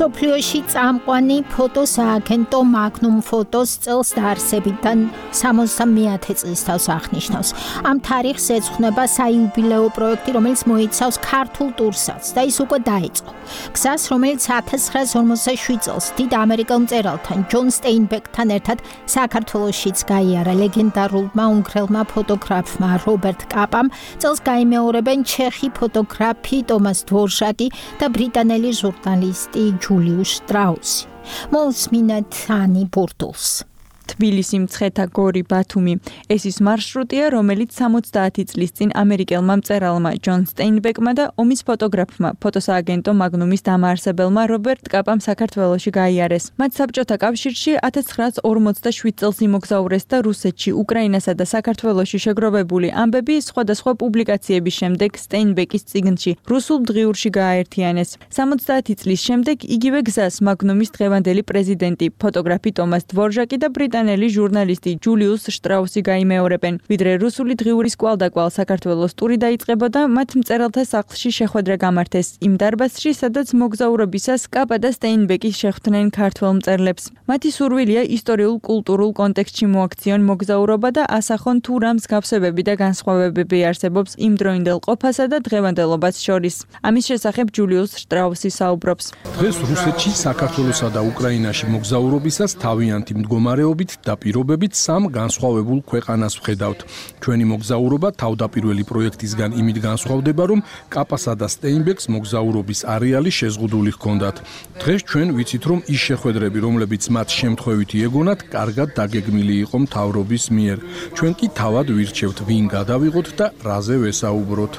სოფლიოში წამყვანი ფოტოსააგენტო მაგნუმ ფოტოს წელს დაარსებიდან სამოცდამეათე წლის თავს აღნიშნავს. ამ თარიღს ეძღვნება საიუბილეო პროექტი, რომელიც მოიცავს ქართულ ტურსაც და ის უკვე დაიწყო. გზას, რომელიც ათას ცხრაას ორმოცდაშვიდ წელს დიდ ამერიკელ მწერალთან ჯონ სტეინბეკთან ერთად საქართველოშიც გაიარა ლეგენდარულმა უნგრელმა ფოტოგრაფმა რობერტ კაპამ, წელს გაიმეორებენ ჩეხი ფოტოგრაფი ტომას დვორჟაკი და ბრიტანელი ჟურნალისტი ჯულიუს შტრაუსი. მოусმინეთ ანი ბურტულს. თბილისი, მცხეთა, გორი, ბათუმი. ეს ის მარშრუტია, რომელიც სამოცდაათი წლის წინ ამერიკელმა მწერალმა ჯონ სტეინბეკმა და ომის ფოტოგრაფმა, ფოტოსააგენტო მაგნუმის დამაარსებელმა რობერტ კაპამ საქართველოში გაიარეს. მათ საბჭოთა კავშირში ათას ცხრაას ორმოცდაშვიდ წელს იმოგზაურეს და რუსეთში, უკრაინასა და საქართველოში შეგროვებული ამბები სხვადასხვა პუბლიკაციების შემდეგ სტეინბეკის წიგნში რუსულ დღიურში გააერთიანეს. სამოცდაათი წლის შემდეგ იგივე გზას მაგნუმის დღევანდელი პრეზიდენტი, ფოტოგრაფი ტომას დვორჟაკი და ბრიტანელი ჟურნალისტი ჯულიუს შტრაუსი გაიმეორებენ. ვიდრე რუსული დღიურის კვალდაკვალ საქართველოს ტური დაიწყებოდა, მათ მწერალთა სახლში შეხვედრა გამართეს იმ დარბაზში, სადაც მოგზაურობისას კაპა და სტეინბეკი შეხვდნენ ქართველ მწერლებს. მათი სურვილია ისტორიულ-კულტურულ კონტექსტში მოაქციონ მოგზაურობა და ასახონ თუ რა მსგავსებები და განსხვავებები არსებობს იმდროინდელ ყოფასა და დღევანდელობას შორის. ამის შესახებ ჯულიუს შტრაუსი საუბრობს. დღეს რუსეთში, საქართველოსა და უკრაინაში მოგზაურობისას თავიანთი მდგომარეობით და პირობებით სამ განსხვავებულ ქვეყანას ვხედავთ. ჩვენი მოგზაურობა თავდაპირველი პროექტისგან იმით განსხვავდება, რომ კაპასა და სტეინბეკს მოგზაურობის არეალი შეზღუდული ჰქონდათ. დღეს ჩვენ ვიცით, რომ ის შეხვედრები, რომლებიც მათ შემთხვევითი ეგონათ, კარგად დაგეგმილი იყო მთავრობის მიერ. ჩვენ კი თავად ვირჩევთ, ვინ გადავიღოთ და რაზე ვესაუბროთ.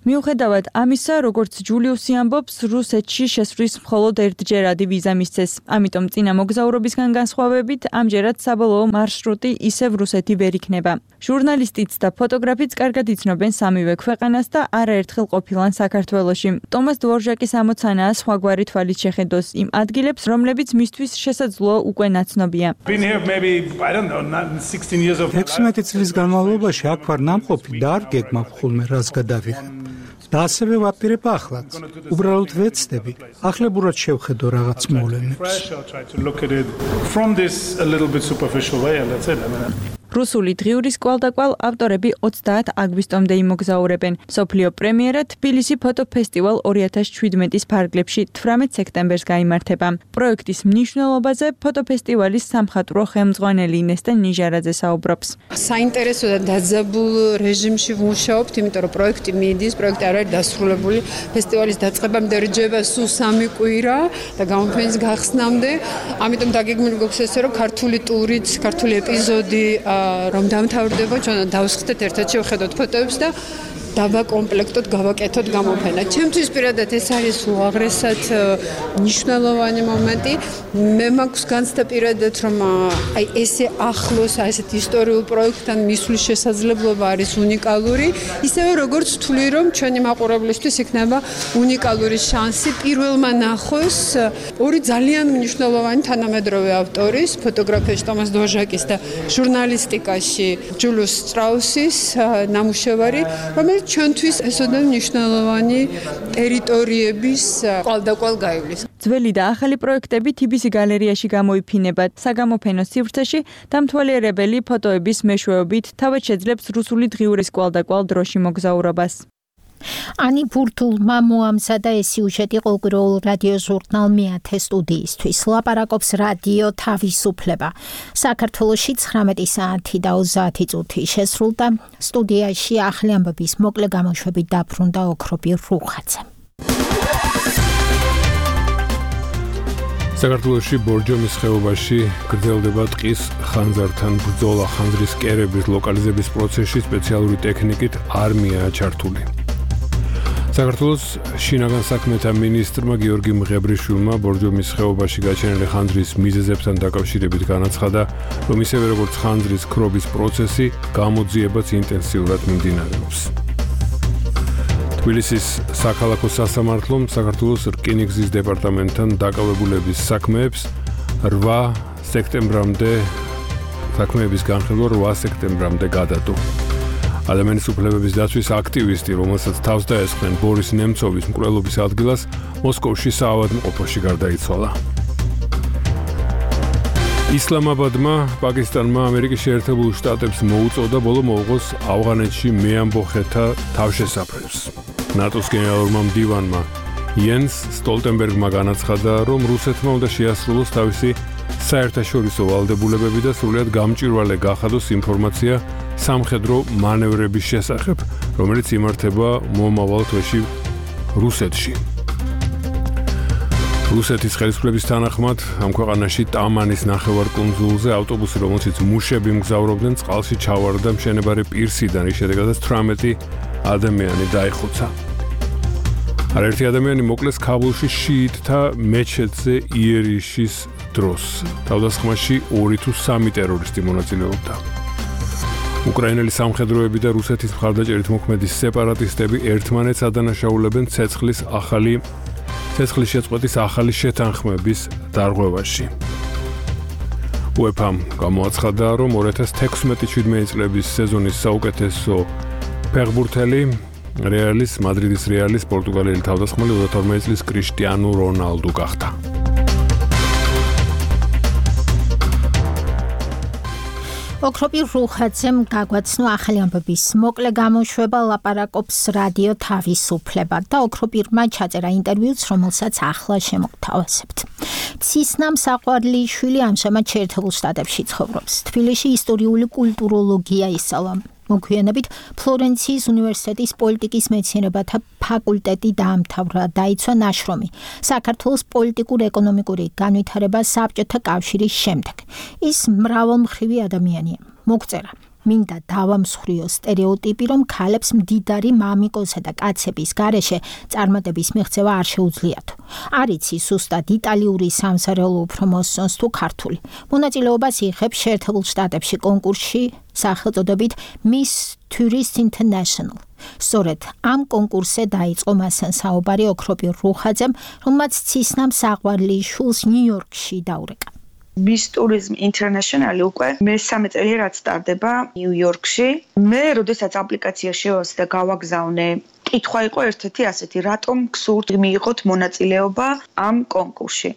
მიუხედავად ამისა, როგორც ჯულიუსი ამბობს, რუსეთში შესვლის მხოლოდ ერთჯერადი ვიზა მისცეს. ამიტომ წინა მოგზაურობისგან განსხვავებით, ამჯერად საბოლოო მარშრუტი ისევ რუსეთი ვერ იქნება. ჟურნალისტიც და ფოტოგრაფიც კარგად იცნობენ სამივე ქვეყანას და არაერთხელ ყოფილან საქართველოში. ტომას დვორჟაკის ამოცანაა სხვაგვარი თვალით შეხედოს იმ ადგილებს, რომლებიც მისთვის შესაძლოა უკვე ნაცნობია. ექვსმეტი წლის განმავლობაში აქ ვარ ნამყოფი და არ გეგმავ ხოლმე რას გადავიღე. და ასევე ვაპირებ ახლაც. უბრალოდ ვეცდები, ახლებურად შევხედო რაღაც მოვლენებს. რუსული დღიურის კვალდაკვალ ავტორები ოცდაათ აგვისტომდე იმოგზაურებენ. მსოფლიო პრემიერა თბილისი ფოტოფესტივალ ორი ათას შვიდმეტის ფარგლებში თვრამეტ სექტემბერს გაიმართება. პროექტის მნიშვნელობაზე ფოტოფესტივალის სამხატვრო ხელმძღვანელი ინესტა ნიჟარაძე საუბრობს. საინტერესო და დაძაბულ რეჟიმში ვმუშაობთ, იმიტომ რომ პროექტი მიდის, პროექტი არ არის დასრულებული. ფესტივალის დაწყებამდე რჯება სულ სამი კვირა და გამოფენის გახსნამდე. ამიტომ დაგეგმილი გვაქვს ესე, რომ ქართული ტურით, ქართული ეპიზოდი რომ დამთავრდება, ჩვენ დავსხდეთ ერთად შევხედოთ ფოტოებს და დავაკომპლექტოთ, გავაკეთოთ გამოფენა. ჩემთვის პირადად ეს არის უაღრესად მნიშვნელოვანი მომენტი. მე მაქვს განცდა პირადად, რომ აი ესე ახლოს, აი ესეთ ისტორიულ პროექტთან მისვლის შესაძლებლობა არის უნიკალური, ისევე როგორც ვთვლი, რომ ჩვენი მაყურებლისთვის იქნება უნიკალური შანსი პირველმა ნახოს ორი ძალიან მნიშვნელოვანი თანამედროვე ავტორის, ფოტოგრაფიაში ტომას დოჟაკის და ჟურნალისტიკაში ჯულიუს სტრაუსის ნამუშევარი, რომელიც ჩვენთვის ესოდან მნიშვნელოვანი ტერიტორიების კვალდაკვალ გაივლის. ძველი და ახალი პროექტები თბილისის გალერეაში გამოიფინება. საგამოფენო სივრცეში დამთვალიერებელი ფოტოების მეშვეობით თავად შეძლებს რუსული დღიურის კვალდაკვალ დროში მოგზაურობას. Ani Purtulma მოამზადა ეს სიუჟეტი ყოველკვირეულ რადიო ჟურნალ მეათე სტუდიისთვის. ლაპარაკობს რადიო თავისუფლება. საქართველოში ცხრამეტი საათი და ოცდაათი წუთი შესრულდა. სტუდიაში ახალი ამბების მოკლე გამოშვებით დაბრუნდა ოქროპი რუხაძე. საქართველოში ბორჯომის ხეობაში გრძელდება ტყის ხანძართან ბრძოლა. ხანძრის კერების ლოკალიზების პროცესში სპეციალური ტექნიკით არმიაა ჩართული. საქართველოს შინაგან საქმეთა მინისტრმა გიორგი მღებრიშვილმა ბორჯომის ხეობაში გაჩენილი ხანძრის მიზეზებთან დაკავშირებით განაცხადა, რომ ისევე როგორც ხანძრის ქრობის პროცესი, გამოძიებაც ინტენსიურად მიმდინარეობს. თბილისის საქალაქო სასამართლომ საქართველოს რკინიგზის დეპარტამენტთან დაკავებულების საქმეებს რვა სექტემბრამდე საქმეების განხილვა რვა სექტემბრამდე გადადო. ადამიანის უფლებების დაცვის აქტივისტი, რომელსაც თავს დაესხნენ ბორის ნემცოვის მკვლელობის ადგილას, მოსკოვში საავადმყოფოში გარდაიცვალა. ისლამაბადმა პაკისტანმა ამერიკის შეერთებულ შტატებს მოუწოდა ბოლო მოუღოს ავღანეთში მეამბოხეთა თავშესაფრებს. ნატოს გენერალურმა მდივანმა იენს სტოლტენბერგმა განაცხადა, რომ რუსეთმა უნდა შეასრულოს თავისი საერთაშორისო ვალდებულებები და სრულად გამჭვირვალე გახადოს ინფორმაცია სამხედრო მანევრების შესახებ, რომელიც იმართება მომავალ თვეში რუსეთში. რუსეთის ხელისუფლების თანახმად ამ ქვეყანაში ტამანის ნახევარკუნძულზე ავტობუსი, რომელშიც მუშები მგზავრობდნენ, წყალში ჩავარდა მშენებარე პირსიდან, რის შედეგადაც თვრამეტი ადამიანი დაიხოცა. არაერთი ადამიანი მოკლეს ქაბულში შიიტთა მეჩეთზე იერიშის დროს. თავდასხმაში ორი თუ სამი ტერორისტი მონაწილეობდა. უკრაინელი სამხედროები და რუსეთის მხარდაჭერით მოქმედი სეპარატისტები ერთმანეთს ადანაშაულებენ ცეცხლის ახალი ცეცხლის შეწყვეტის ახალი შეთანხმების დარღვევაში. უეფამ გამოაცხადა, რომ ორი ათას თექვსმეტი შვიდმეტი წლების სეზონის საუკეთესო ფეხბურთელი რეალის მადრიდის რეალის პორტუგალიელი თავდასხმელი ოცდათორმეტი წლის კრიშტიანო რონალდუ გახდა. ოქროპი რუხაძემ გაგვაცნო ახალი ამბების მოკლე გამოშვება ლაპარაკობს რადიო თავისუფლება და ოქროპირმა ჩაწერა ინტერვიუც, რომელსაც ახლა შემოგთავაზებთ. ცისნამ საყვარლიშვილი ამჟამად შეერთებულ შტატებში ცხოვრობს. თბილისში ისტორიული კულტუროლოგია ისწავლა. მოგვიანებით ფლორენციის უნივერსიტეტის პოლიტიკის მეცნიერებათა ფაკულტეტი დაამთავრა, დაიცვა ნაშრომი საქართველოს პოლიტიკურ-ეკონომიკური განვითარება საბჭოთა კავშირის შემდეგ. ის მრავალმხრივი ადამიანია. მოგწერა მინდა დავამსხვრიო სტერეოტიპი, რომ ქალებს მდიდარი მამიკოსა და კაცების გარეშე წარმატების მიღწევა არ შეუძლიათ. არ იცი სუსტად იტალიური სამზარეულო უფრო მოსწონს თუ ქართული. მონაწილეობას იღებს შეერთებულ შტატებში კონკურსში სახელწოდებით Miss Tourist International. სწორედ ამ კონკურსზე დაიწყო მასთან საუბარი ოქროპი რუხაძემ, რომელმაც ცისნამ საყვარლიშვილს ნიუ-იორკში დაურეკა. Miss Tourism International უკვე მესამე წელი რაც სტარდება ნიუ-იორკში. მე როდესაც აპლიკაცია შევასე და გავაგზავნე, კითხვა იყო ერთ-ერთი ასეთი, რატომ გსურთ მიიღოთ მონაწილეობა ამ კონკურსში.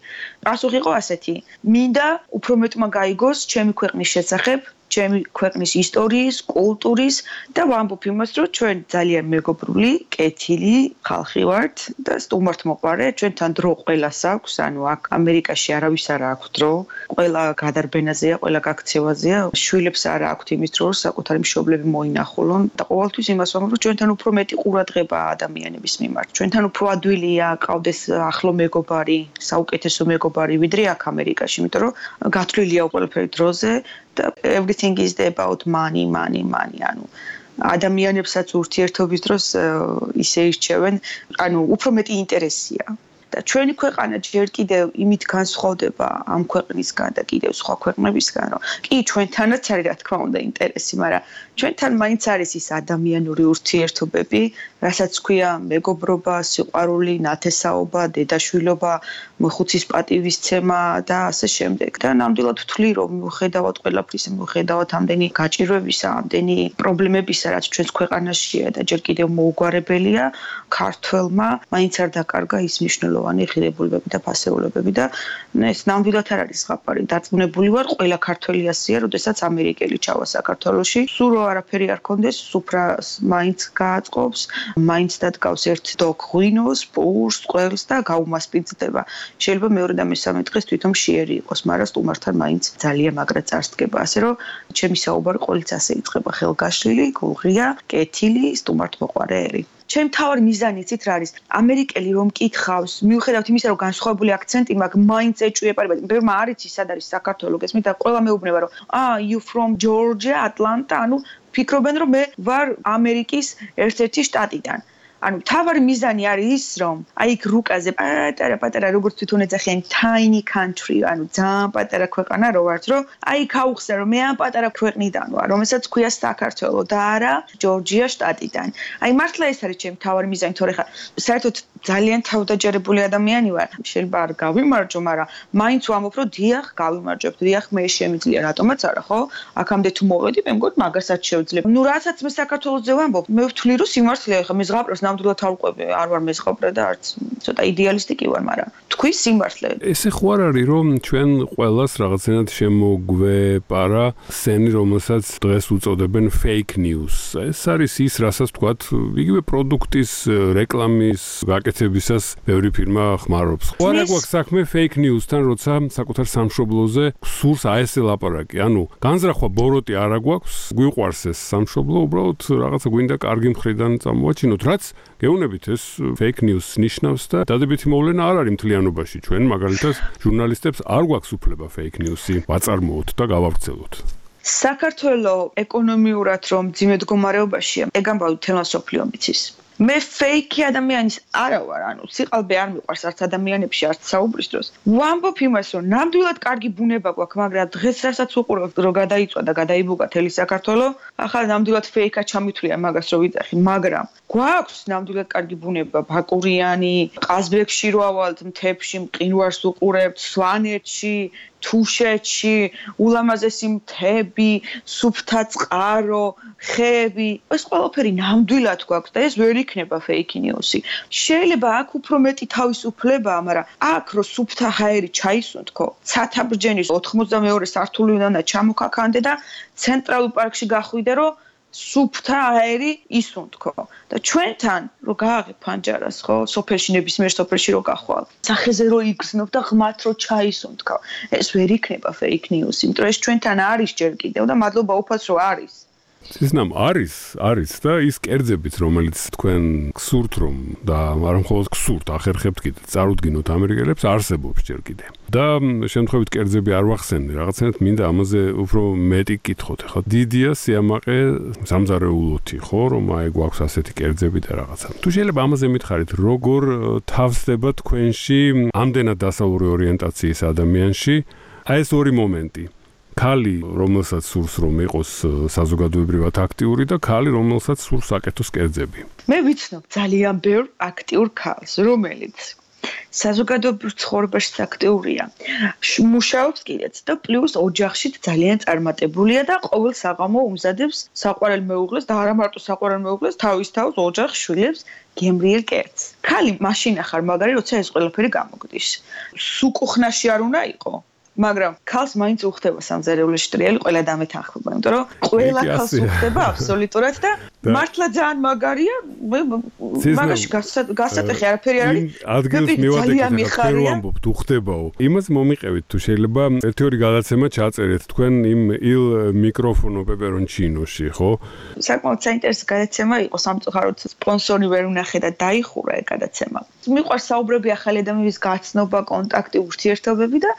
პასუხი იყო ასეთი: მინდა უფრო მეტმა გაიგოს ჩემი ქვეყნის შესახებ, ჩემი ქვეყნის ისტორიის, კულტურის და ვამბობ იმას, რომ ჩვენ ძალიან მეგობრული, კეთილი ხალხი ვართ და სტუმართმოყვარე, ჩვენთან დრო ყველას აქვს, ანუ აქ ამერიკაში არავის არ აქვს დრო, ყველა გადარბენაზეა, ყველა გაქცევაზეა, შვილებს არ აქვთ იმის დრო, საკუთარი მშობლები მოინახულონ და ყოველთვის იმას ვამბობ, რომ ჩვენთან უფრო მეტი ყურადღებაა ადამიანების მიმართ. ჩვენთან უფრო ადვილია ყავდეს ახლო მეგობარი, საუკეთესო მეგობარი, ვიდრე აქ ამერიკაში, იმიტომ რომ გათვლილია ყველაფერი დროზე და everything is about money, money, money. ანუ ადამიანებსაც ურთიერთობის დროს ისე ირჩევენ, ანუ უფრო მეტი ინტერესია. და ჩვენი ქვეყანა ჯერ კიდევ იმით განსხვავდება ამ ქვეყნისგან და კიდევ სხვა ქვეყნებისგან, რომ კი ჩვენთანაც არის რა თქმა უნდა ინტერესი, მაგრამ ჩვენთან მაინც არის ის ადამიანური ურთიერთობები, რასაც ქვია მეგობრობა, სიყვარული, ნათესაობა, დედაშვილობა, ხუცის პატივისცემა და ასე შემდეგ. და ნამდვილად ვთვლი, რომ მიუხედავად ყველაფრისა, მიუხედავად ამდენი გაჭირვებისა, ამდენი პრობლემებისა, რაც ჩვენს ქვეყანაშია და ჯერ კიდევ მოუგვარებელია, ქართველმა მაინც არ დაკარგა ის მნიშვნელოვანი ღირებულებები და ფასეულებები და ეს ნამდვილად არ არის ზღაპარი. დარწმუნებული ვარ, ყველა ქართველი ასეა, როდესაც ამერიკელი ჩავა საქართველოში, სულ რო არაფერი არ ქონდეს, სუფრას მაინც გააწყობს, მაინც დადგავს ერთ დოგ ღვინოს, პურს, ყველს და გაუმასპინძლდება. შეიძლება მეორე და მესამე დღეს თვითონ მშიერი იყოს, მაგრამ სტუმართან მაინც ძალიან მაგრად წარსდგება, ასე რომ ჩემი საუბარი ყოველთვის ასე იწყება: ხელგაშლილი, გულღია, კეთილი, სტუმართმოყვარეერი. ჩემ თავარი მიზანი იცით რა არის? ამერიკელი რომ მკითხავს, მიუხედავად იმისა, რომ განსხვავებული აქცენტი მაქვს, მაინც ეჭვიება. ბევრმა არ იცის, სად არის საქართველო, გესმით? და ყველა მეუბნება, რომ აა you from Georgia, Atlanta, ანუ ფიქრობენ, რომ მე ვარ ამერიკის ერთ-ერთი შტატიდან. ანუ თავარი მიზანი არის ის, რომ აი იქ რუკაზე პატარა პატარა როგორც თვითონ ეძახიან tiny country, ანუ ძალიან პატარა ქვეყანა რო ვართ, რომ აი იქ აუხსნა, რომ მე ამ პატარა ქვეყნიდან ვარ, რომელსაც ქვია საქართველო და არა ჯორჯია შტატიდან. აი მართლა ეს არის ჩემი თავარი მიზანი, თორე ხა საერთოდ ძალიან თავდაჯერებული ადამიანი ვარ. შეიძლება არ გავიმარჯო, მაგრამ მაინც ვამბობ, რომ დიახ, გავიმარჯვებ, დიახ, მე შემიძლია, რატომაც არა, ხო? აქამდე თუ მოვედი, მე მგონი მაგასაც შევძლებ. ნუ რასაც მე საქართველოზე ვამბობ, მე ვთვლი, რომ სიმართლეა, ხა მე ზღაპრებს ნამდვილად არ ვყვები, არ ვარ მეზღაპრე და არც ცოტა იდეალისტი კი ვარ, მაგრამ თქვი სიმართლე. ესე ხო არ არის, რომ ჩვენ ყველას რაღაცნაირად შემოგვეპარა სენი, რომელსაც დღეს უწოდებენ fake news. ეს არის ის, რასაც თქვათ, იგივე პროდუქტის რეკლამის გაკეთებისას ბევრი ფირმა ხმარობს. ხო არა გვაქვს საქმე fake news-თან, როცა საკუთარ სამშობლოზე სურს აესე ლაპარაკი. ანუ განზრახვა ბოროტი არა გვაქვს, გვიყვარს ეს სამშობლო, უბრალოდ რაღაცა გვინდა კარგი მხრიდან წამოვაჩინოთ, რაც გეუბნებით ეს fake news ნიშნავს და დადებითი მოვლენა არ არის მთლიანობაში. ჩვენ მაგალითად ჟურნალისტებს არ გვაქვს უფლება fake news-ი ვაწარმოოთ და გავავრცელოთ. საქართველო ეკონომიურად რომ ძიმე მდგომარეობაშია, ეგ ამბავი თემა სოფლიო მიცის. მე ფეიქი ადამიანის არა ვარ, ანუ სიყალბე არ მიყვარს არც ადამიანებში, არც საუბრის დროს. ვამბობ იმას, რომ ნამდვილად კარგი ბუნება გვაქვს, მაგრამ დღეს რასაც უყურებ, რომ გადაიწვა და გადაიბუგა თელი საქართველო, ახლა ნამდვილად ფეიქა ჩამithვლია მაგას რო ვიძახი, მაგრამ გვაქვს ნამდვილად კარგი ბუნება, ბაკურიანი, ყაზბეგში რო ავალთ მთებში, მყინვარს უყურებთ, სვანეთში, თუშეთში, ულამაზესი მთები, სუფთა წყარო, ხეები, ეს ყველაფერი ნამდვილად გვაქვს და ეს ვერ იქნება fake news-ი. შეიძლება აქ უფრო მეტი თავისუფლებაა, მაგრამ აქ რო სუფთა ჰაერი ჩაისუნთქო, ცათაბრჯენის ოთხმოცდამეორე სართული უნდა ჩამოქაქანდე და ცენტრალურ პარკში გახვიდე, რომ სუფთა ჰაერი ისუნთქო. და ჩვენთან რო გააღებ ფანჯარას, ხო, სოფელში ნებისმიერ სოფელში რო გახვალ, სახეზე რო იგრძნობ და ღმათ რო ჩაისუნთქო. ეს ვერ იქნება fake news-ი, იმიტომ ეს ჩვენთან არის ჯერ კიდევ და მადლობა უფალს რო არის. ისნამ არის, არის და ის კერძებიც, რომელიც თქვენ გსურთ რომ და არ მხოლოდ გსურთ, ახერხებთ კიდე, წარუდგინოთ ამერიკელებს, არსებობს ჯერ კიდე. და შემთხვევით კერძები არ ვახსენე, რაღაცნაირად მინდა ამაზე უფრო მეტი კითხოთ. ახლა დიდია სიამაყე სამზარეულოთი, ხო, რომ აი გვაქვს ასეთი კერძები და რაღაცა. თუ შეიძლება ამაზე მითხარით, როგორ თავსდება თქვენში ამდენად დასავლური ორიენტაციის ადამიანში აი ეს ორი მომენტი. ქალი, რომელსაც სურს რომ იყოს საზოგადოებრივად აქტიური და ქალი, რომელსაც სურს აკეთოს კერძები. მე ვიცნობ ძალიან ბევრ აქტიურ ქალს, რომელიც საზოგადოებრივ ცხოვრებაში აქტიურია. მუშაობს კიდეც და პლუს ოჯახში ძალიან წარმატებულია და ყოველ საღამო უმზადებს საყვარელ მეუღლეს და არა მარტო საყვარელ მეუღლეს, თავის თავს ოჯახს, შვილებს გემრიელ კერძს. ქალი მაშინ ახარ მაგარი, როცა ეს ყველაფერი გამოგდის. სუკუხნაში არ უნდა იყო. მაგრამ ქალს მაინც უხდება სამზარეულოში ტრიალი ყველა დამეთანხმება, იმიტომ რომ ყველა ქალს უხდება აბსოლუტურად და მართლა ძალიან მაგარია, მაგაში გასატეხი არაფერი არ არის. ადგილს მივადეკით, რა ვამბობთ, უხდებაო. იმას მომიყევით თუ შეიძლება ერთი ორი გადაცემა ჩაწერეთ თქვენ იმ ილ მიკროფონო პეპერონჩინოში, ხო? საკმაოდ საინტერესო გადაცემა იყო, სამწუხაროდ სპონსორი ვერ უნახე და დაიხურა ეს გადაცემა. მიყვარს საუბრები ახალი ადამიანის გაცნობა, კონტაქტი, ურთიერთობები და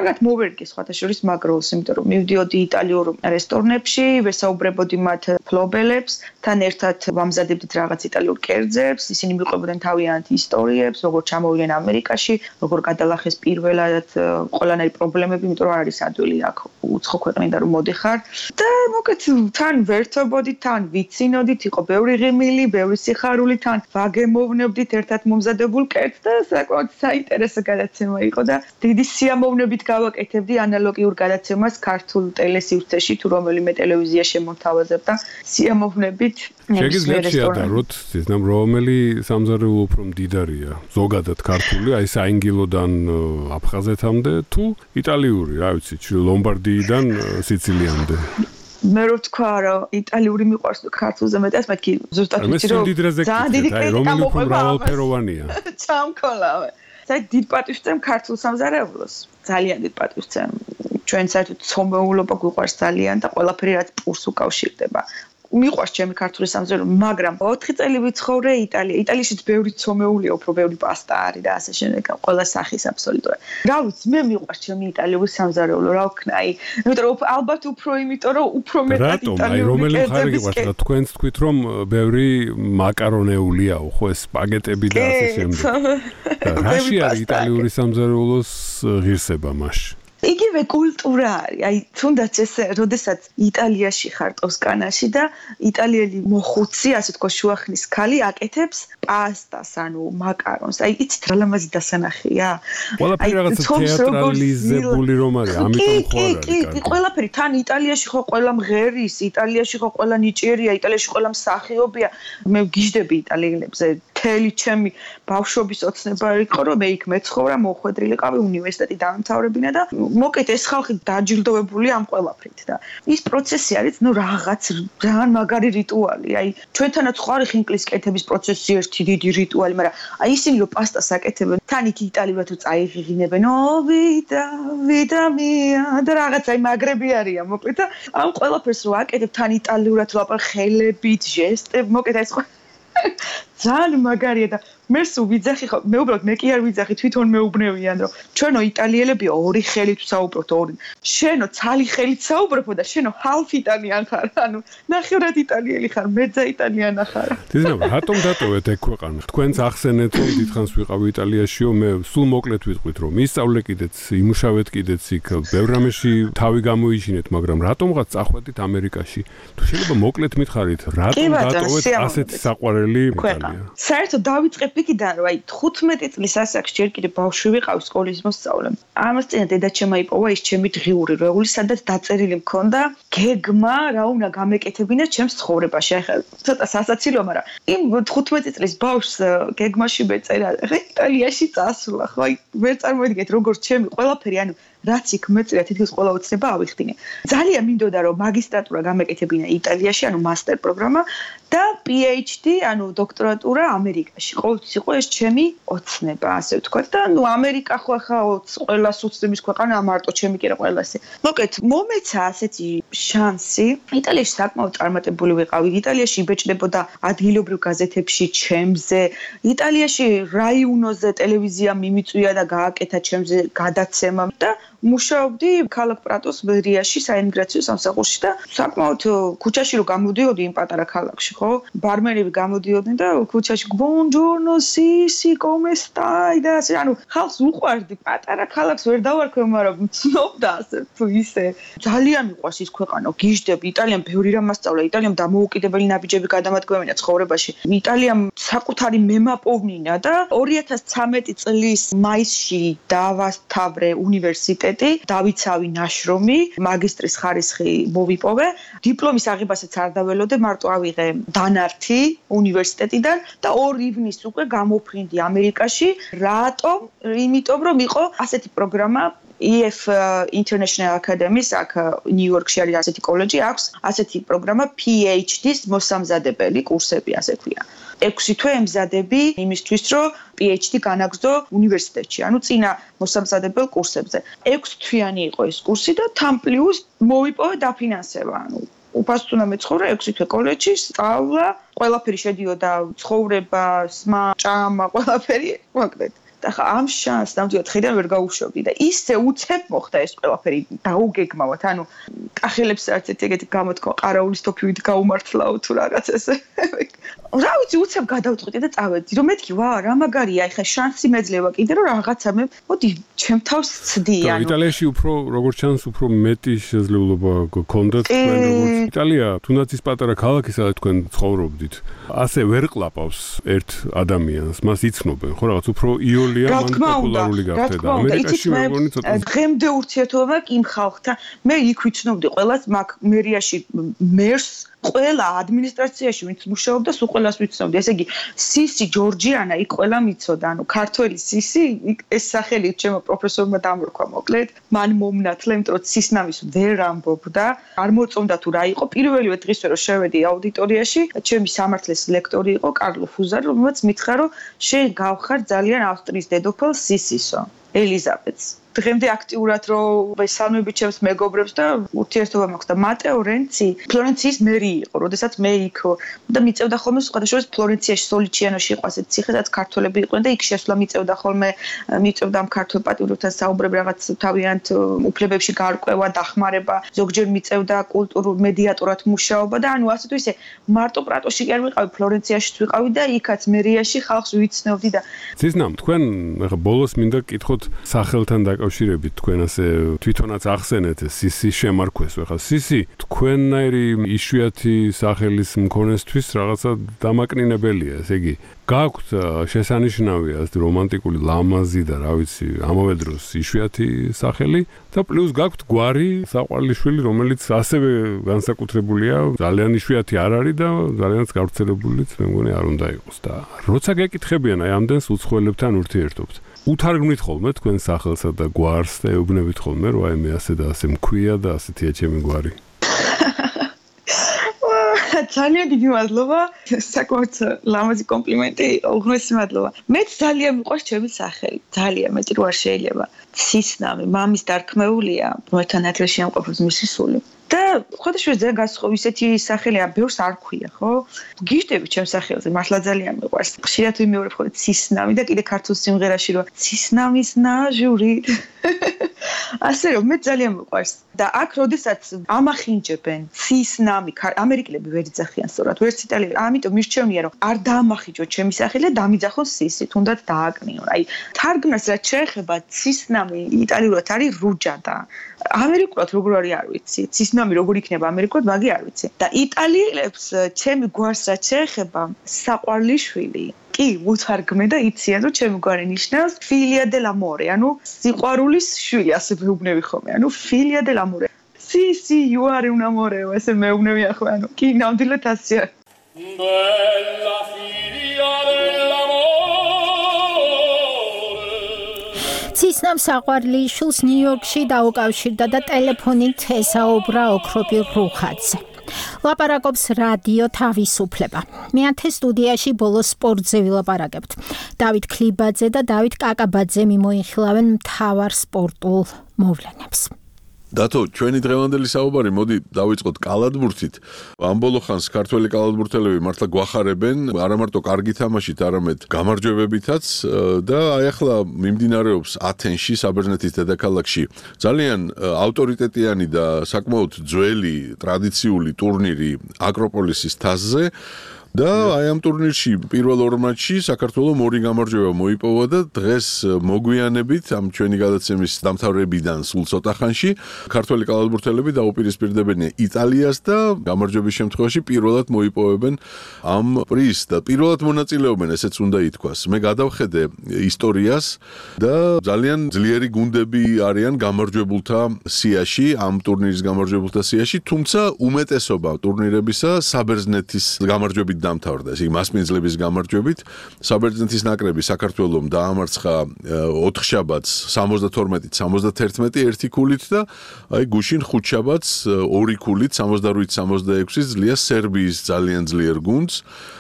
კარგად მოვერგე სხვათა შორის მაგ როლს, იმიტომ რომ მივდიოდი იტალიურ რესტორნებში, ვესაუბრებოდი მათ ფლობელებს, თან ერთად ვამზადებდით რაღაც იტალიურ კერძებს, ისინი მიყვებოდნენ თავიანთ ისტორიებს, როგორ ჩამოვიდნენ ამერიკაში, როგორ გადალახეს პირველად ყველანაირი პრობლემები, იმიტომ რომ არ არის ადვილი აქ უცხო ქვეყნიდან რომ მოდიხარ და მოკეთ თან ვერთობოდით, თან ვიცინოდით, იყო ბევრი ღიმილი, ბევრი სიხარული, თან ვაგემოვნებდით ერთად მომზადებულ კერძს და საკმაოდ საინტერესო გადაცემა იყო და დიდი სიამოვნებით გავაკეთებდი ანალოგიურ გადაცემას ქართულ ტელესივრცეში თუ რომელიმე ტელევიზია შემოთავაზებდა სიამოვნებით შეგიძლიათ შეადაროთ ისნამ რომელი სამზარეულო უფრო მდიდარია ზოგადად ქართული აი საინგილოდან აფხაზეთამდე თუ იტალიური რა ვიცი ლომბარდიიდან სიცილიამდე მე რო თქვა რომ იტალიური მიყვარს ქართულზე მეტად მეთქი ზუსტად ვიცი რომ ძალიან დიდი კრიტიკა მოყვება მრავალფეროვანია ჩამქოლავე საერთოდ დიდ პატივს ვცემ ქართულ სამზარეულოს ძალიან დიდ პატივს ვცემ ჩვენ საერთოდ ცომეულობა გვიყვარს ძალიან და ყველაფერი რაც პურს უკავშირდება მიყვარს ჩემი ქართული სამზარეულო მაგრამ ოთხი წელი ვიცხოვრე იტალია იტალიაშიც ბევრი ცომეულია უფრო ბევრი პასტა არის და ასე შემდეგ ყველა სახის აბსოლუტურად რა ვიცი მე მიყვარს ჩემი იტალიური სამზარეულო რა ვქნა აი იმიტომ რომ ალბათ უფრო იმიტომ რომ უფრო მეტად იტალიური კერძები გიყარს თქვენც თქვით რომ ბევრი მაკარონეულიაო ხო ეს სპაგეტები და ასე შემდეგ რაში არის იტალიური სამზარეულოს ღირსება მასში იგივე კულტურა არის. აი, თუნდაც ეს, როდესაც იტალიაში ხარ ტოსკანაში და იტალიელი მოხუცი, ასე თქო, შუახნის ქალი აკეთებს პასტას, ანუ მაკარონს. აი, იცით რა ლამაზი დასანახია? ყველაფერი რაღაცა თეატრალიზებული რომ არის, ამიტომ ხო არ არის. კი, კი, ყველაფერი თან იტალიაში ხო ყველა მღერის, იტალიაში ხო ყველა ნიჭიერია, იტალიაში ყველა მსახიობია. მე ვგიჟდები იტალიელებზე. მთელი ჩემი ბავშვობის ოცნება იყო, რომ მე იქ მეცხოვრა, მოხვედრილიყავი უნივერსიტეტი დამთავრებინა და მოკეთ ეს ხალხი დაჯილდოვებული ამ ყველაფრით და ის პროცესი არის ნუ რაღაც ძალიან მაგარი რიტუალი აი ჩვენთანაც ხო არის ხინკლის კეთების პროცესი ერთი დიდი რიტუალი მაგრამ აი ისინი რომ პასტას აკეთებენ თან იქ იტალიურად თუ წაიღიღინებენ ო ვიდა ვიდა მია და რაღაც აი მაგრები არიან მოკეთ და ამ ყველაფერს რო აკეთებ თან იტალიურად ლაპარ ხელებით ჟესტები მოკეთ ეს ძალიან მაგარია და მე სულ ვიძახი ხო მე უბრალოდ მე კი არ ვიძახი თვითონ მეუბნევიან რომ ჩვენო იტალიელები ორი ხელით საუბრობთ ორი შენო ცალი ხელით საუბრობ და შენო half იტალიან ხარ ანუ ნახევრად იტალიელი ხარ მეძა იტალიანა ხარ დიზნო რატომ დატოვეთ ეგ ქვეყანა თქვენს ახსენეთ რომ დიდხანს ვიყავი იტალიაშიო მე სულ მოკლედ ვიტყვით რომ ისწავლე კიდეც იმუშავეთ კიდეც იქ ბევრ რამეში თავი გამოიჩინეთ მაგრამ რატომღაც წახვედით ამერიკაში თუ შეიძლება მოკლედ მითხარით რატომ დატოვეთ ასეთი საყვარელი იტალია საერთოდ დავიწყებ იქიდან რომ აი თხუთმეტი წლის ასაკში ჯერ კიდე ბავშვი ვიყავ სკოლის მოსწავლე. ამას წინა დედაჩემმა იპოვა ის ჩემი დღიური რეული, სადაც დაწერილი მქონდა გეგმა, რა უნდა გამეკეთებინა ჩემს ცხოვრებაში. ახლა ცოტა სასაცილო, მაგრამ იმ თხუთმეტი წლის ბავშვს გეგმაში მეწერა, ხა იტალიაში წასვლა, ხო? აი ვერ წარმოვიდგეთ როგორც ჩემი ყველაფერი, ანუ რაც იქ მეწერა თითქოს ყველა ოცნება ავიხდინე. ძალიან მინდოდა რომ მაგისტრატურა გამეკეთებინა იტალიაში, ანუ მასტერ პროგრამა და PhD, ანუ დოქტორატურა ამერიკაში. ყოველთვის იყო ეს ჩემი ოცნება, ასე ვთქვათ და ნუ ამერიკა ხო ახლა ყველას უცნების ქვეყანა, მარტო ჩემი კი რა ყველასე. მოკეთ, მომეცა ასეთი შანსი. იტალიაში საკმაოდ წარმატებული ვიყავი. იტალიაში იბეჭდებოდა ადგილობრივ გაზეთებში ჩემზე. იტალიაში რაიონოზე ტელევიზია მიმიწვია და გააკეთა ჩემზე გადაცემა და მუშაობდი ქალაქ პრატოს მერიაში საიმიგრაციო სამსახურში და საკმაოდ ქუჩაში რო გამოდიოდი იმ პატარა ქალაქში, ხო? ბარმერები გამოდიოდნენ და ქუჩაში ბონჯორნო, სისი, კომე სტაი და ასე, ანუ ხალხს უყვარდი, პატარა ქალაქს ვერ დავარქვე, მაგრამ ცნობდა ასე თუ ისე. ძალიან მიყვარს ის ქვეყანა, გიждები, იტალიამ ბევრი რამ მასწავლა, იტალიამ დამოუკიდებელი ნაბიჯები გადამადგმევინა ცხოვრებაში. იტალიამ საკუთარი მემაპოვნინა და ორი ათას ცხრამეტი წლის მაისში დავასთავრე უნივერსიტეტი, დავიცავი ნაშრომი, მაგისტრის ხარისხი მოვიპოვე, დიპლომის აღებასაც არ დაველოდე, მარტო ავიღე დანართი უნივერსიტეტიდან და ორ ივნის უკვე გამოფრინდი ამერიკაში. რატომ? იმიტომ რომ იყო ასეთი პროგრამა E F International Academy-ს აქ ნიუ-იორკში არის ასეთი კოლეჯი, აქვს ასეთი პროგრამა P H D-ს მოსამზადებელი კურსები, ასე ქვია. ექვსი თვე ემზადები იმისთვის, რომ P H D განაგრძო უნივერსიტეტში, ანუ წინა მოსამზადებელ კურსებზე. ექვსი თვიანი იყო ეს კურსი და თან პლუს მოვიპოვე დაფინანსება, ანუ უფასწუნა მეცხოვრა ექვსი თვე კოლეჯში, სწავლა, ყველაფერი შედიოდა ცხოვრება, სმა, ჭამა, ყველაფერი, მოკლედ. და ხა ამ შანსს ნამდვილად ხედავ ვერ გაუშვებდი და ისე უცებ მოხდა ეს ყველაფერი დაუგეგმავად, ანუ კახელებს არც ეგეთი გამოთქვა ყარაულის თოფივით გაუმართლაო თუ რაღაც ესე. რა ვიცი, უცებ გადავწყვიტე და წავედი, რომ მეთქი, ვა, რა მაგარია, ეხა შანსი მეძლევა კიდე რომ რაღაცა მე, მოდი, ჩემ თავს ცდი, ანუ. იტალიაში უფრო როგორც ჩანს, უფრო მეტი შესაძლებლობა გქონდათ თქვენ როგორც იტალია, თუნდაც ის პატარა ქალაქი, სადაც თქვენ ცხოვრობდით, ასე ვერ ყლაპავს ერთ ადამიანს, მას იცნობენ, ხო, რაღაც უფრო იოლია მან პოპულარული გახდა და ამერიკაში მეგონი ცოტა დღემდე ურთიერთობა იმ ხალხთან, მე იქ ვიცნობდი ყველას, მაგ მერიაში მერს ყველა ადმინისტრაციაში ვინც მუშაობდა, სულ ყველას ვიცნობდი. ესე იგი, სისი ჯორჯიანა იქ ყველა მიცოდა, ანუ ქართველი სისი, ეს სახელი ჩემო პროფესორმა დამორქვა მოკლედ. მან მომნათლა, იმიტომ რომ სისნამის ვერ ამბობდა, არ მოწონდა თუ რა იყო. პირველივე დღისვე რომ შევედი აუდიტორიაში, ჩემი სამართლის ლექტორი იყო კარლო ფუზარი, რომელმაც მითხრა, რომ შენ გავხარ ძალიან ავსტრიის დედოფალ სისისო, ელიზაბეთს. დღემდე აქტიურად რომ ვესალმები ჩემს მეგობრებს და ურთიერთობა მაქვს და მატეო რენცი ფლორენციის მერი იყო, როდესაც მე იქ და მიწევდა ხოლმე სხვადასხვა ფლორენციაში, სოლიჩიანოში იყო ასეთ ციხე, სადაც ქართველები იყვნენ და იქ შესვლა მიწევდა ხოლმე, მიწევდა ამ ქართველ პატიოტრებთან საუბრები, რაღაც თავიანთ უფლებებში გარკვევა, დახმარება, ზოგჯერ მიწევდა კულტურულ მედიატორად მუშაობა და ანუ ასე თუ ისე მარტო პრატოში კი არ ვიყავი, ფლორენციაშიც ვიყავი და იქაც მერიაში ხალხს ვიცნობდი და ცისნამ, თქვენ ახლა ბოლოს მინდა გკითხოთ სახელთან და კავშირებით თქვენ ასე თვითონაც ახსენეთ სისი შემარქვეს ახლა სისი თქვენნაირი იშვიათი სახელის მქონესთვის რაღაცა დამაკნინებელია, ესე იგი გაქვთ შესანიშნავი ასე რომანტიკული ლამაზი და რა ვიცი ამავე დროს იშვიათი სახელი და პლუს გაქვთ გვარი საყვარლიშვილი, რომელიც ასევე განსაკუთრებულია, ძალიან იშვიათი არ არის და ძალიანაც გავრცელებულიც მე მგონი არ უნდა იყოს და როცა გეკითხებიან აი ამდენს უცხოელებთან ურთიერთობთ უთარგმნით ხოლმე თქვენ სახელსა და გვარს და ეუბნებით ხოლმე რომ აი მე ასე და ასე მქვია და ასეთია ჩემი გვარი. ძალიან დიდი მადლობა, საკმაოდ ლამაზი კომპლიმენტი, უღრმესი მადლობა. მეც ძალიან მიყვარს ჩემი სახელი, ძალიან მეტი რო არ შეიძლება. სისნამი, მამის დარქმეულია, მოერთან ათლში ამყოფობს მისი სული. და ხოდაშუა ძალიან გასხოვ ისეთი სახელი ამ ბევრს არ ქვია, ხო? გიждები ჩემ სახელზე, მართლა ძალიან მიყვარს. ხშირად ვიმეორებ ხოლმე სისნამი და კიდე ქართულ სიმღერაში რომ სისნამის ნაჟური. ასე რომ მე ძალიან მიყვარს და აქ როდესაც ამახინჯებენ სისნამი, ამერიკელები ვერ იძახიან სწორად, ვერც იტალიელები, ამიტომ მირჩევნია რომ არ დაამახინჯო ჩემი სახელი და დამიძახონ სისი, თუნდაც დააკნიონ. აი, თარგმნას რაც შეეხება სისნამი იტალიურად არის რუჯადა. ამერიკულად როგორ არის არ ვიცი. სისნამი როგორ იქნება ამერიკულად, მაგი არ ვიცი. და იტალიელებს ჩემი გვარს რაც შეეხება საყვარლიშვილი კი, უთარგმე და იციან, რომ ჩემი გვარი ნიშნავს filia dell'amore, ანუ სიყვარულის შვილი, ასე მეუბნები ხოლმე, ანუ filia dell'amore. Si, si, you are un amore, ესე მეუბნები ახლა, ანუ კი, ნამდვილად ასეა. Bella filia dell'amore. ცისნამ საყვარლიშვილს ნიუ-იორკში დაუკავშირდა და ტელეფონით ესაუბრა ოქროპი რუხაძე. ლაპარაკობს რადიო თავისუფლება. მეათე სტუდიაში ბოლოს სპორტზე ვილაპარაკებთ. დავით ქლიბაძე და დავით კაკაბაძე მიმოიხილავენ მთავარ სპორტულ მოვლენებს. დათო, ჩვენი დღევანდელი საუბარი მოდი დავიწყოთ კალათბურთით. ამ ბოლო ხანს ქართველი კალათბურთელები მართლა გვახარებენ, არა მარტო კარგი თამაშით, არამედ გამარჯვებებითაც და აი ახლა მიმდინარეობს ათენში, საბერძნეთის დედაქალაქში ძალიან ავტორიტეტიანი და საკმაოდ ძველი ტრადიციული ტურნირი აკროპოლისის თასზე. და აი ამ ტურნირში პირველ ორ მატჩში საქართველოს ორი გამარჯვება მოიპოვა და დღეს მოგვიანებით ამ ჩვენი გადაცემის დამთავრებიდან სულ ცოტა ხანში ქართველი კალათბურთელები დაუპირისპირდებენ იტალიას და გამარჯვების შემთხვევაში პირველად მოიპოვებენ ამ პრიზს და პირველად მონაწილეობენ, ესეც უნდა ითქვას. მე გადავხედე ისტორიას და ძალიან ძლიერი გუნდები არიან გამარჯვებულთა სიაში, ამ ტურნირის გამარჯვებულთა სიაში, თუმცა უმეტესობა ტურნირებისა საბერძნეთის გამარჯვებით დამთავრდა, ესე იგი მასპინძლების გამარჯვებით. საბერძნეთის ნაკრები საქართველოს დაამარცხა ოთხშაბათს სამოცდათორმეტით სამოცდათერთმეტი ერთი ქულით და აი გუშინ ხუთშაბათს ორი ქულით სამოცდაორი სამოცდაექვსი ძლია სერბიის ძალიან ძლიერ გუნდს.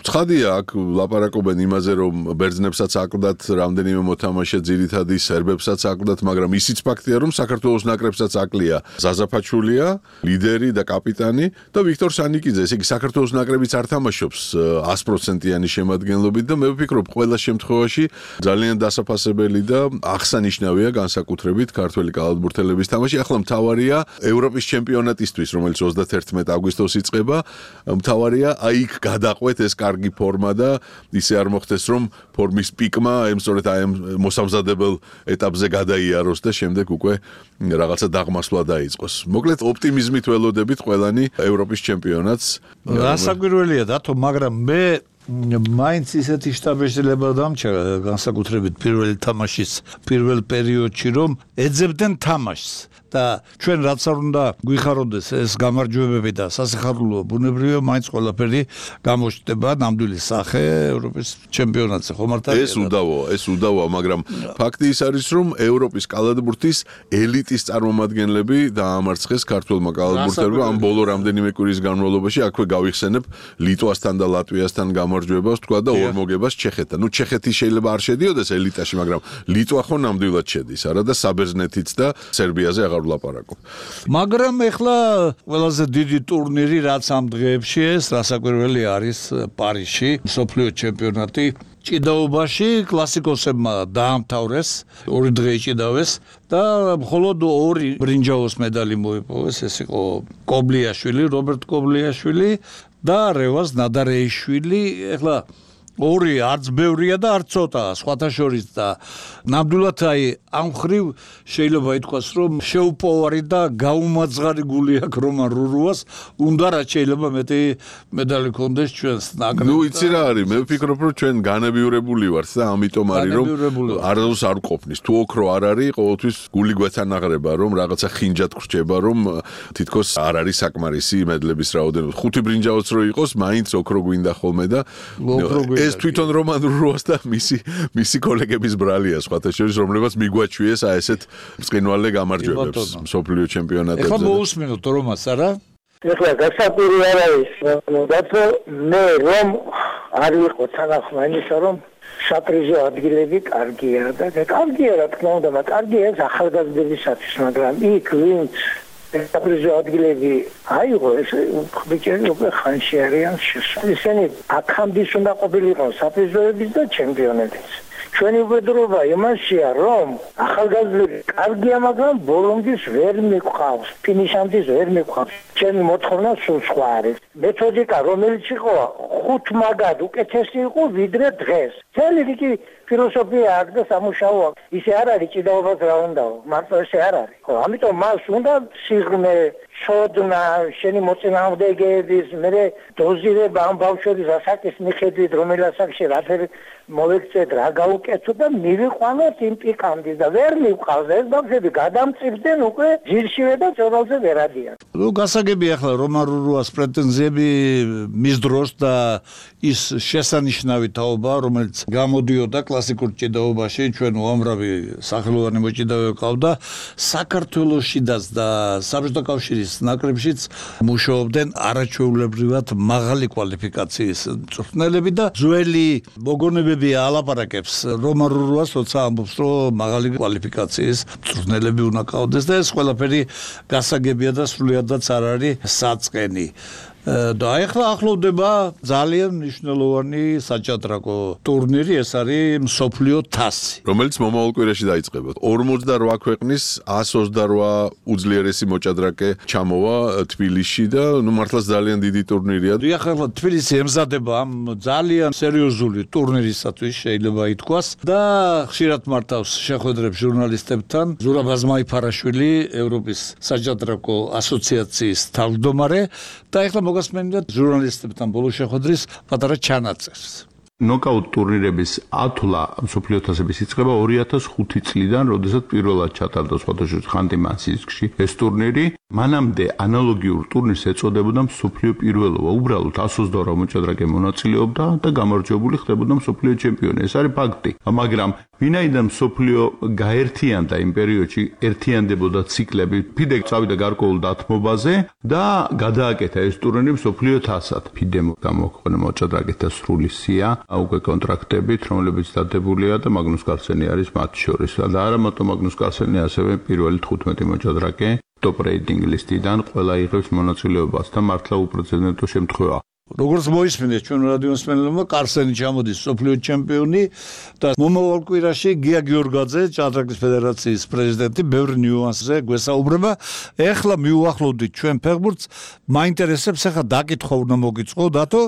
ცხადია, აქ ლაპარაკობენ იმაზე, რომ ბერძნებსაც აკლდათ რამდენიმე მოთამაშე, ძირითადი სერბებსაც აკლდათ, მაგრამ ისიც ფაქტია, რომ საქართველოს ნაკრებსაც აკლია ზაზა ფაჩულია, ლიდერი და კაპიტანი და ვიქტორ სანიკიძე, ესე იგი საქართველოს ნაკრებიც არ თამაშობს ათი პროცენტიანი შემადგენლობით და მე ვფიქრობ, ყველა შემთხვევაში ძალიან დასაფასებელი და აღსანიშნავია განსაკუთრებით ქართველი კალათბურთელების თამაში. ახლა მთავარია ევროპის ჩემპიონატისთვის, რომელიც ოცდათერთმეტ აგვისტოს იწყება, მთავარია აი იქ გადაყვეთ ეს კარგი ფორმა და ისე არ მოხდეს, რომ ფორმის პიკმა ემსწორეთ აი ამ მოსამზადებელ ეტაპზე გადაიაროს და შემდეგ უკვე რაღაცა დაღმასვლა დაიწყოს. მოკლედ ოპტიმიზმით ველოდებით ყველანი ევროპის ჩემპიონატს. გასაკვირველია დათო, მაგრამ მე მაინც ისეთი შტაბეშლება დამჭა განსაკუთრებით პირველი თამაშის პირველ პერიოდში, რომ ეძებდნენ თამაშს და ჩვენ რაც არ უნდა გვიხაროდეს ეს გამარჯვებები და სასიხარულო ბუნებრივია, მაინც ყველაფერი გამოჩნდება ნამდვილი სახე ევროპის ჩემპიონატზე, ხო მართალია? ეს უდავოა, ეს უდავოა, მაგრამ ფაქტი ის არის, რომ ევროპის კალათბურთის ელიტის წარმომადგენლები დაამარცხეს ქართველმა კალათბურთელებმა ამ ბოლო რამდენიმე კვირის განმავლობაში. აქვე გავიხსენებ ლიტვასთან და ლატვიასთან გამარჯვებას, თქვა და ორ მოგებას ჩეხეთთან. ნუ ჩეხეთი შეიძლება არ შედიოდეს ელიტაში, მაგრამ ლიტვა ხო ნამდვილად შედის, არა და საბერძნეთიც და სერბიაზე აღარ ვლაპარაკობ. მაგრამ ეხლა ყველაზე დიდი ტურნირი რაც ამ დღეებში ეს რასაკვირველი არის პარიზში, მსოფლიო ჩემპიონატი. ჭიდაობაში კლასიკოსებმა დაამთავრეს, ორი დღე იჭიდავეს და მხოლოდ ორი ბრინჯაოს медаლი მოიპოვეს, ეს იყო კობლიაშვილი, რობერტ კობლიაშვილი და რევაზ ნადარეიშვილი. ეხლა ორი არც ბევრია და არც ცოტა, სხვათა შორის და ნამდვილად აი ამ ხრივ შეიძლება ითქვას, რომ შეუპოვარი და გაუმაძღარი გული აქვს რომან რურუას, უნდა რაც შეიძლება მეტი медаლი ქონდეს ჩვენს ნაკრებს. ნუ იცი რა არის, მე ვფიქრობ, რომ ჩვენ განებიურებული ვართ და ამიტომ არის, რომ არასდროს არ ყოფნის. თუ ოქრო არ არის, ყოველთვის გული გვეთანაღრება, რომ რაღაცა ხინჯად გრჩება, რომ თითქოს არ არის საკმარისი მედლების რაოდენობა. ხუთი ბრინჯაოც რო იყოს, მაინც ოქრო გვინდა ხოლმე და ეს თვითონ რომან რურუას და მისი მისი კოლეგების ბრალია სხვათა შორის, რომლებაც მიგვაჩვიეს აი ესეთ ბრწყინვალე გამარჯვებებს მსოფლიო ჩემპიონატებზე. ეხლა მოусმინოთ რომას, არა? ეხლა გასაკვირი არ არის, დათო, მე რომ არ ვიყო თანახმა იმისა, რომ საპრიზო ადგილები კარგია და კარგია რა თქმა უნდა, მაგრამ კარგია ეს ახალგაზრდებისათვის, მაგრამ იქ ვინც საპრიზო ადგილები აიღო, ეს ბიჭები უკვე ხანში არიან შესული. ისინი აქამდე უნდა ყოფილიყო საპრიზოების და ჩემპიონების. ჩვენი უბედურობა იმაშია, რომ ახალგაზრდები კარგია, მაგრამ ბოლომდის ვერ მიყვავს, ფინიშამდე ვერ მიყვავს. ჩემი მოთხოვნა სულ სხვა არის. მეთოდიკა რომელიც იყო ხუთ მაგად უკეთესი იყო ვიდრე დღეს. ძალი რიგი ფილოსოფია აქვს და სამუშაო აქვს. ისე არ არის ჭიდაობას რა უნდაო, მარტო ესე არ არის. ხო, ამიტომ მას უნდა სიღრმე, ცოდნა, შენი მოწინააღმდეგეების, მე დოზირება ამ ბავშვების ასაკის მიხედვით, რომელ ასაკში რაფერი მოვექცეთ, რა გაუკეთო და მივიყვანოთ იმ პიკამდე და ვერ მივყავს ეს ბავშვები გადამწირდნენ უკვე ძირშივე და წორალზე ვერ ადიან. ნუ გასაგებია ახლა რომან რურუას პრეტენზიები მის დროს და ის შესანიშნავი თაობა, რომელიც გამოდიოდა კლასიკურ ჭიდაობაში, ჩვენ უამრავი სახელოვანი მოჭიდავე ყავდა საქართველოშიდაც და საბჭოთა კავშირის საფრანგეთის ნაკრებშიც მუშაობდნენ არაჩვეულებრივად მაღალი კვალიფიკაციის მწვრთნელები და ძველი მოგონებები ალაპარაკებს რომან რუას როცა ამბობს რომ მაღალი კვალიფიკაციის მწვრთნელები უნდა ყავდეს და ეს ყველაფერი გასაგებია და სრულიადაც არ არის საწყენი და ახლა ახლოვდება ძალიან მნიშვნელოვანი საჭადრაკო ტურნირი, ეს არის მსოფლიო თასი, რომელიც მომავალ კვირაში დაიწყება. ორმოცდაოთხ ქვეყნის εκατს ოცდაოთხ უძლიერესი მოჭადრაკე ჩამოვა თბილისში და ნუ მართლაც ძალიან დიდი ტურნირია. ახლა თბილისი ემზადება ამ ძალიან სერიოზული ტურნირისათვის შეიძლება ითქვას და ხშირად მართავს შეხვედრებს ჟურნალისტებთან. ზურაბ აზმაიფარაშვილი, ევროპის საჭადრაკო ასოციაციის თავმჯდომარე და ახლა მოგასმენდათ ჟურნალისტებთან ბოლო შეხვედრის პატარა ჩანაწერს. ნოკაუტ ტურნირების ათვლა მსოფლიო თასების იწყება ორი ათას ხუთი წლიდან, როდესაც პირველად ჩატარდა სხვადასხვა ხანტი-მანსისკში ეს ტურნირი. მანამდე ანალოგიურ ტურნირს ეწოდებოდა მსოფლიო პირველობა. უბრალოდ εκατს ოცდაოთხ მოჭადრაკე მონაწილეობდა და გამარჯვებული ხდებოდა მსოფლიო ჩემპიონი. ეს არის ფაქტი. მაგრამ ვინაიდან მსოფლიო გაერთიანდა იმ პერიოდში, ერთიანდებოდა ციკლები, ფიდე წავიდა გარკვეულ დათმობაზე და გადააკეთა ეს ტურნირი მსოფლიო თასად. ფიდემ გამოაქვეყნა მოჭადრაკეთა სრული სია უკვე კონტრაქტებით, რომლებიც დადებულია და მაგნუს კარლსენი არის მათ შორის. და არა მარტო მაგნუს კარლსენი, ასევე პირველი თხუთმეტი მოჭადრაკე ტოპ რეიტინგ ლისტიდან ყველა იღებს მონაწილეობას და მართლა უპრეცედენტო შემთხვევაა. როგორც მოისმინეთ ჩვენ რადიოსმენელებმა, კარლსენი ჩამოდის მსოფლიო ჩემპიონი და მომავალ კვირაში გია გიორგაძე, ჭადრაკის ფედერაციის პრეზიდენტი, ბევრი ნიუანსზე გვესაუბრება. ეხლა მივუახლოვდით ჩვენ ფეხბურთს, მაინტერესებს ახლა დაკითხვა უნდა მოგიწყო, დათო,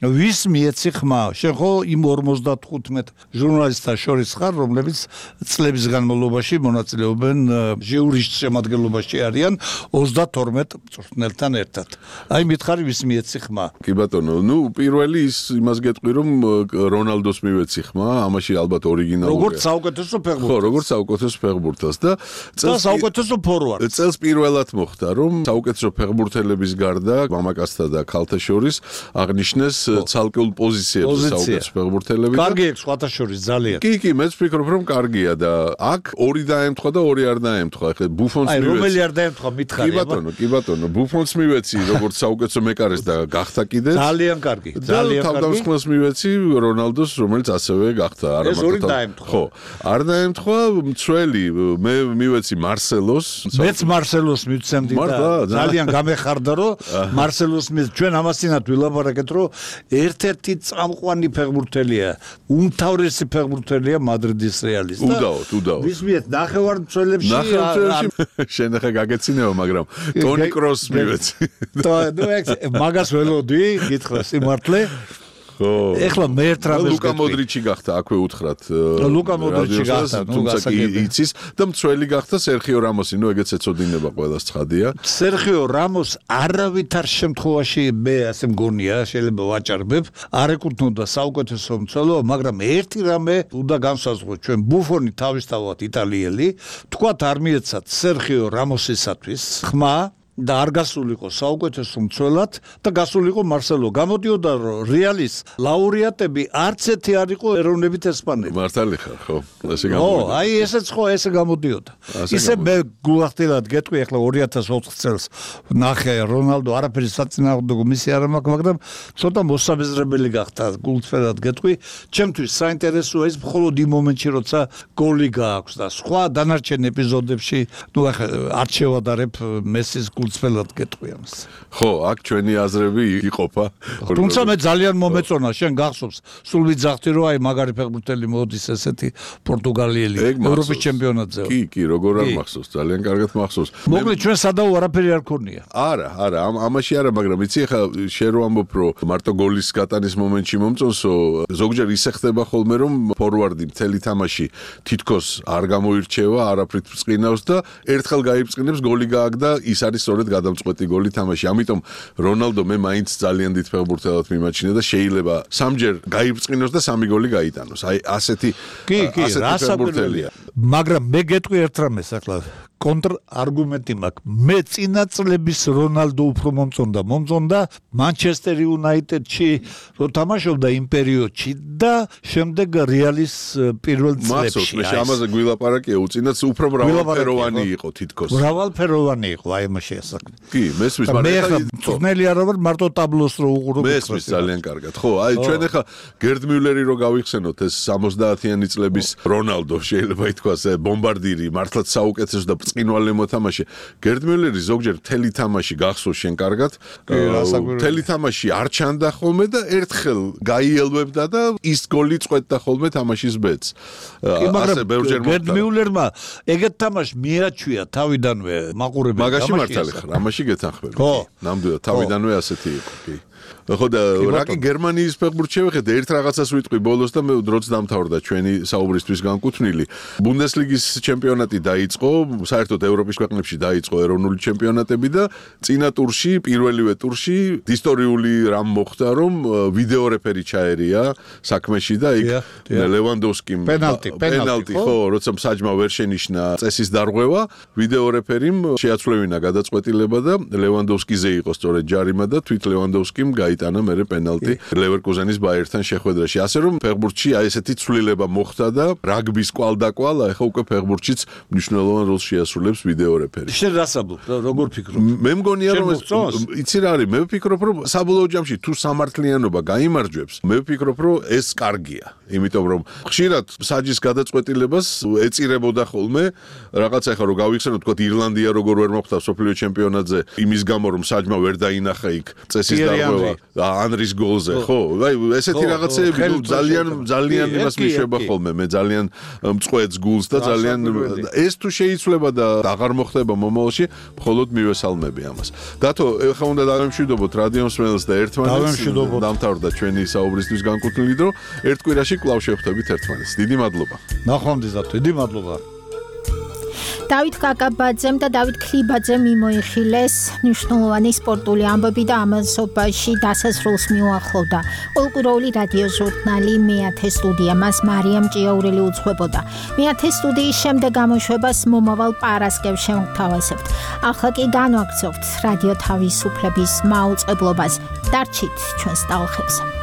ვის მიეცი ხმა? შენ ხო იმ ორმოცდათხუთმეტ ჟურნალისტთა შორის ხარ, რომლებიც წლების განმავლობაში მონაწილეობენ ჟიურის შემადგენლობაში არიან ოცდათორმეტ მწვრთნელთან ერთად. აი მითხარი ვის მიეცი ხმა? კი ბატონო, ნუ პირველი ის იმას გეტყვი რომ რონალდოს მივეცი ხმა, ამაში ალბათ ორიგინალურია. როგორც საუკეთესო ფეხბურთელს. ხო, როგორც საუკეთესო ფეხბურთელს და წელს საუკეთესო ფორვარდს. წელს პირველად მოხდა რომ საუკეთესო ფეხბურთელების გარდა მამაკაცთა და ქალთა შორის აღნიშნეს ცალკეულ პოზიციებზე საუკეთესო ფეხბურთელები. კარგი აქვს სხვათა შორის ძალიან. კი, კი, მეც ვფიქრობ რომ კარგია და აქ ორი დაემთხვა და ორი არ დაემთხვა. ახლა ბუფონს მივეცი. აი, რომელი არ დაემთხვა მითხარი? კი ბატონო, კი ბატონო, ბუფონს მივეცი როგორც საუკეთესო მეკარეს და გახდა კიდეც ძალიან კარგი, ძალიან კარგი. თავდამსხმელს მივეცი რონალდოს, რომელიც ასევე გახდა. არა ეს ორი დაემთხვა. ხო, არ დაემთხვა მცველი, მე მივეცი მარსელოს. მეც მარსელოს მივცემდი და ძალიან გამეხარდა რომ მარსელოს მე ჩვენ ამასინათ ვილაპარაკეთ რომ ერთ-ერთი წამყვანი ფეხბურთელია, უმთავრესი ფეხბურთელია მადრიდის რეალის და უდაოდ, უდაოდ. ვის მიეთ ნახევარმცველებში შენ ახლა გაგეცინეო, მაგრამ ტონი კროსს მივეცი. და ნუ ეგ მაგას ველოდი გითხრა სიმართლე. ხო. ეხლა მე ერთ რამეს ლუკა მოდრიჩი გახდა, აქვე უთხრათ. ლუკა მოდრიჩი გახდა, ნუ გასაგებია. იცის და მცველი გახდა სერხიო რამოსი, ნუ ეგეც ეწოდინება ყველას ცხადია. სერხიო რამოს არავითარ შემთხვევაში მე ასე მგონია, შეიძლება ვაჭარბებ, არ ეკუთვნოდა საუკეთესო მცველობა, მაგრამ ერთი რამე უნდა განსაზღვროთ, ჩვენ ბუფონი თავისთავად იტალიელი, თქვათ არ მიეცათ სერხიო რამოსისათვის ხმა და არ გასულიყო საუკეთესო მცველად და გასულიყო მარსელო. გამოდიოდა რომ რეალის ლაურეატები არც ერთი არ იყო ეროვნებით ესპანელი. მართალი ხარ, ხო? ესე გამოდიოდა. ო, აი ესეც ხო ესე გამოდიოდა. ისე მე გულახდილად გეტყვი ახლა ორი ათას ოთხ წელს ნახე რონალდო არაფერი საწინააღმდეგო მისი არ მაქვს, მაგრამ ცოტა მოსაბეზრებელი გახდა გულწრფელად გეტყვი. ჩემთვის საინტერესოა ის მხოლოდ იმ მომენტში, როცა გოლი გააქვს და სხვა დანარჩენ ეპიზოდებში, ნუ ახლა არ შევადარებ მესის სპელად გეტყვი ამას. ხო, აქ ჩვენი აზრები იყოფა. თუმცა მე ძალიან მომეწონა, შენ გახსოვს, სულ ვიძახდი რომ აი მაგარი ფეხბურთელი მოდის ესეთი პორტუგალიელი ევროპის ჩემპიონატზე. კი, კი, როგორ არ მახსოვს, ძალიან კარგად მახსოვს. მოკლედ ჩვენ სადაო არაფერი არ ქონია. არა, არა, ამაში არა, მაგრამ იცი ხა შენ რო ამბობ რომ მარტო გოლის გატანის მომენტში მომწონსო, ზოგჯერ ისე ხდება ხოლმე რომ ფორვარდი მთელი თამაში თითქოს არ გამოირჩევა, არაფრით ბრწყინავს და ერთხელ გაიბრწყინებს, გოლი გააგდა, ის არის სწორედ გადამწყვეტი გოლი თამაში. ამიტომ რონალდო მე მაინც ძალიან დიდ ფეხბურთელად მიმაჩნია და შეიძლება სამჯერ გაიბრწყინოს და სამი გოლი გაიტანოს. აი ასეთი კი, კი, რასაკვირველია. მაგრამ მე გეტყვი ერთ რამეს ახლა კონტრარგუმენტი მაქვს. მე წინა წლების რონალდო უფრო მომწონდა, მომწონდა Manchester United-ში რო თამაშობდა იმ პერიოდში და შემდეგ რეალის პირველ წლებში. მახსოვს, მე ამაზე გვილაპარაკია, უწინაც უფრო მრავალფეროვანი იყო თითქოს. მრავალფეროვანი იყო აი ამაში ასაკ. კი, მესმის, მაგრამ მე ხა წვნელი არ ვარ მარტო ტაბლოს რო უყურო. მესმის ძალიან კარგად. ხო, აი ჩვენ ახლა გერდ მიულერი რო გავიხსენოთ ეს სამოცდაათიანი წლების რონალდო შეიძლება ითქვას ბომბარდირი, მართლაც საუკეთესო და ბრწყინვალე მოთამაშე. გერდ მიულერი ზოგჯერ მთელი თამაში გახსოვს შენ კარგად. მთელი თამაში არ ჩანდა ხოლმე და ერთხელ გაიელვებდა და ის გოლი წყვეტდა ხოლმე თამაშის ბედს. ასე ბევრჯერ გერდ მიულერმა ეგეთ თამაშს მიაჩვია თავიდანვე მაყურებელი. მაგაში მართალი ხარ, ამაში გეთანხმები. ნამდვილად თავიდანვე ასეთი იყო, კი. ხო და რაკი გერმანიის ფეხბურთს შევხედე ერთ რაღაცას ვიტყვი ბოლოს და მე დროც დამთავრდა ჩვენი საუბრისთვის განკუთვნილი. ბუნდესლიგის ჩემპიონატი დაიწყო, საერთოდ ევროპის ქვეყნებში დაიწყო ეროვნული ჩემპიონატები და წინა ტურში, პირველივე ტურში ისტორიული რამ მოხდა, რომ ვიდეო რეფერი ჩაერია საქმეში და იქ ლევანდოვსკიმ პენალტი, პენალტი ხო, როცა მსაჯმა ვერ შენიშნა წესის დარღვევა, ვიდეო რეფერიმ შეაცვლევინა გადაწყვეტილება და ლევანდოვსკიზე იყო სწორედ ჯარიმა და თვით ლევანდოვსკიმ გაიტანა მერე პენალტი ლევერკუზენის ბაიერთან შეხვედრაში. ასე რომ ფეხბურთში აი ესეთი ცვლილება მოხდა და რაგბის კვალდაკვალ, ახლა უკვე ფეხბურთშიც მნიშვნელოვან როლს შეასრულებს ვიდეო რეფერი. შენ რას ამბობ? როგორ ფიქრობ? მე მგონია რომ იცი რა არის, მე ვფიქრობ რომ საბოლოო ჯამში თუ სამართლიანობა გაიმარჯვებს, მე ვფიქრობ რომ ეს კარგია. იმიტომ რომ ხშირად საჯის გადაწყვეტილებას ეწირებოდა ხოლმე რაღაცა ახლა რო გავიხსენოთ თქვა ირლანდია როგორ ვერ მოხდა სოფლიო ჩემპიონატზე იმის გამო რომ საჯმა ვერ დაინახა იქ წესის დარღვევა ანრის გოლზე ხო აი ესეთი რაღაცები ძალიან ძალიან იმას მიშვება ხოლმე მე ძალიან მწყვეტს გულს და ძალიან ეს თუ შეიცვლება და აღარ მოხდება მომავალში მხოლოდ მივესალმები ამას დათო ეხლა უნდა დავემშვიდობოთ რადიო მსმენელს და ერთმანეთს დამთავრდა ჩვენი საუბრისთვის განკუთვნილი დრო ერთ კვირაში კვლავ შევხვდებით ერთმანეთს დიდი მადლობა ნახვამდის დათო დიდი მადლობა დავით კაკაბაძემ და დავით ქლიბაძემ მიმოიხილეს მნიშვნელოვანი სპორტული ამბები და ამასობაში დასასრულს მიუახლოვდა. ყოველკვირეული რადიო ჟურნალი მეათე სტუდია მას მარიამ ჭიაურელი უძღვებოდა. მეათე სტუდიის შემდეგ გამოშვებას მომავალ პარასკევს შევთავაზებთ. ახლა კი განვაგრძობთ რადიო თავისუფლების მაუწყებლობას. დარჩით ჩვენს ტალღებზე.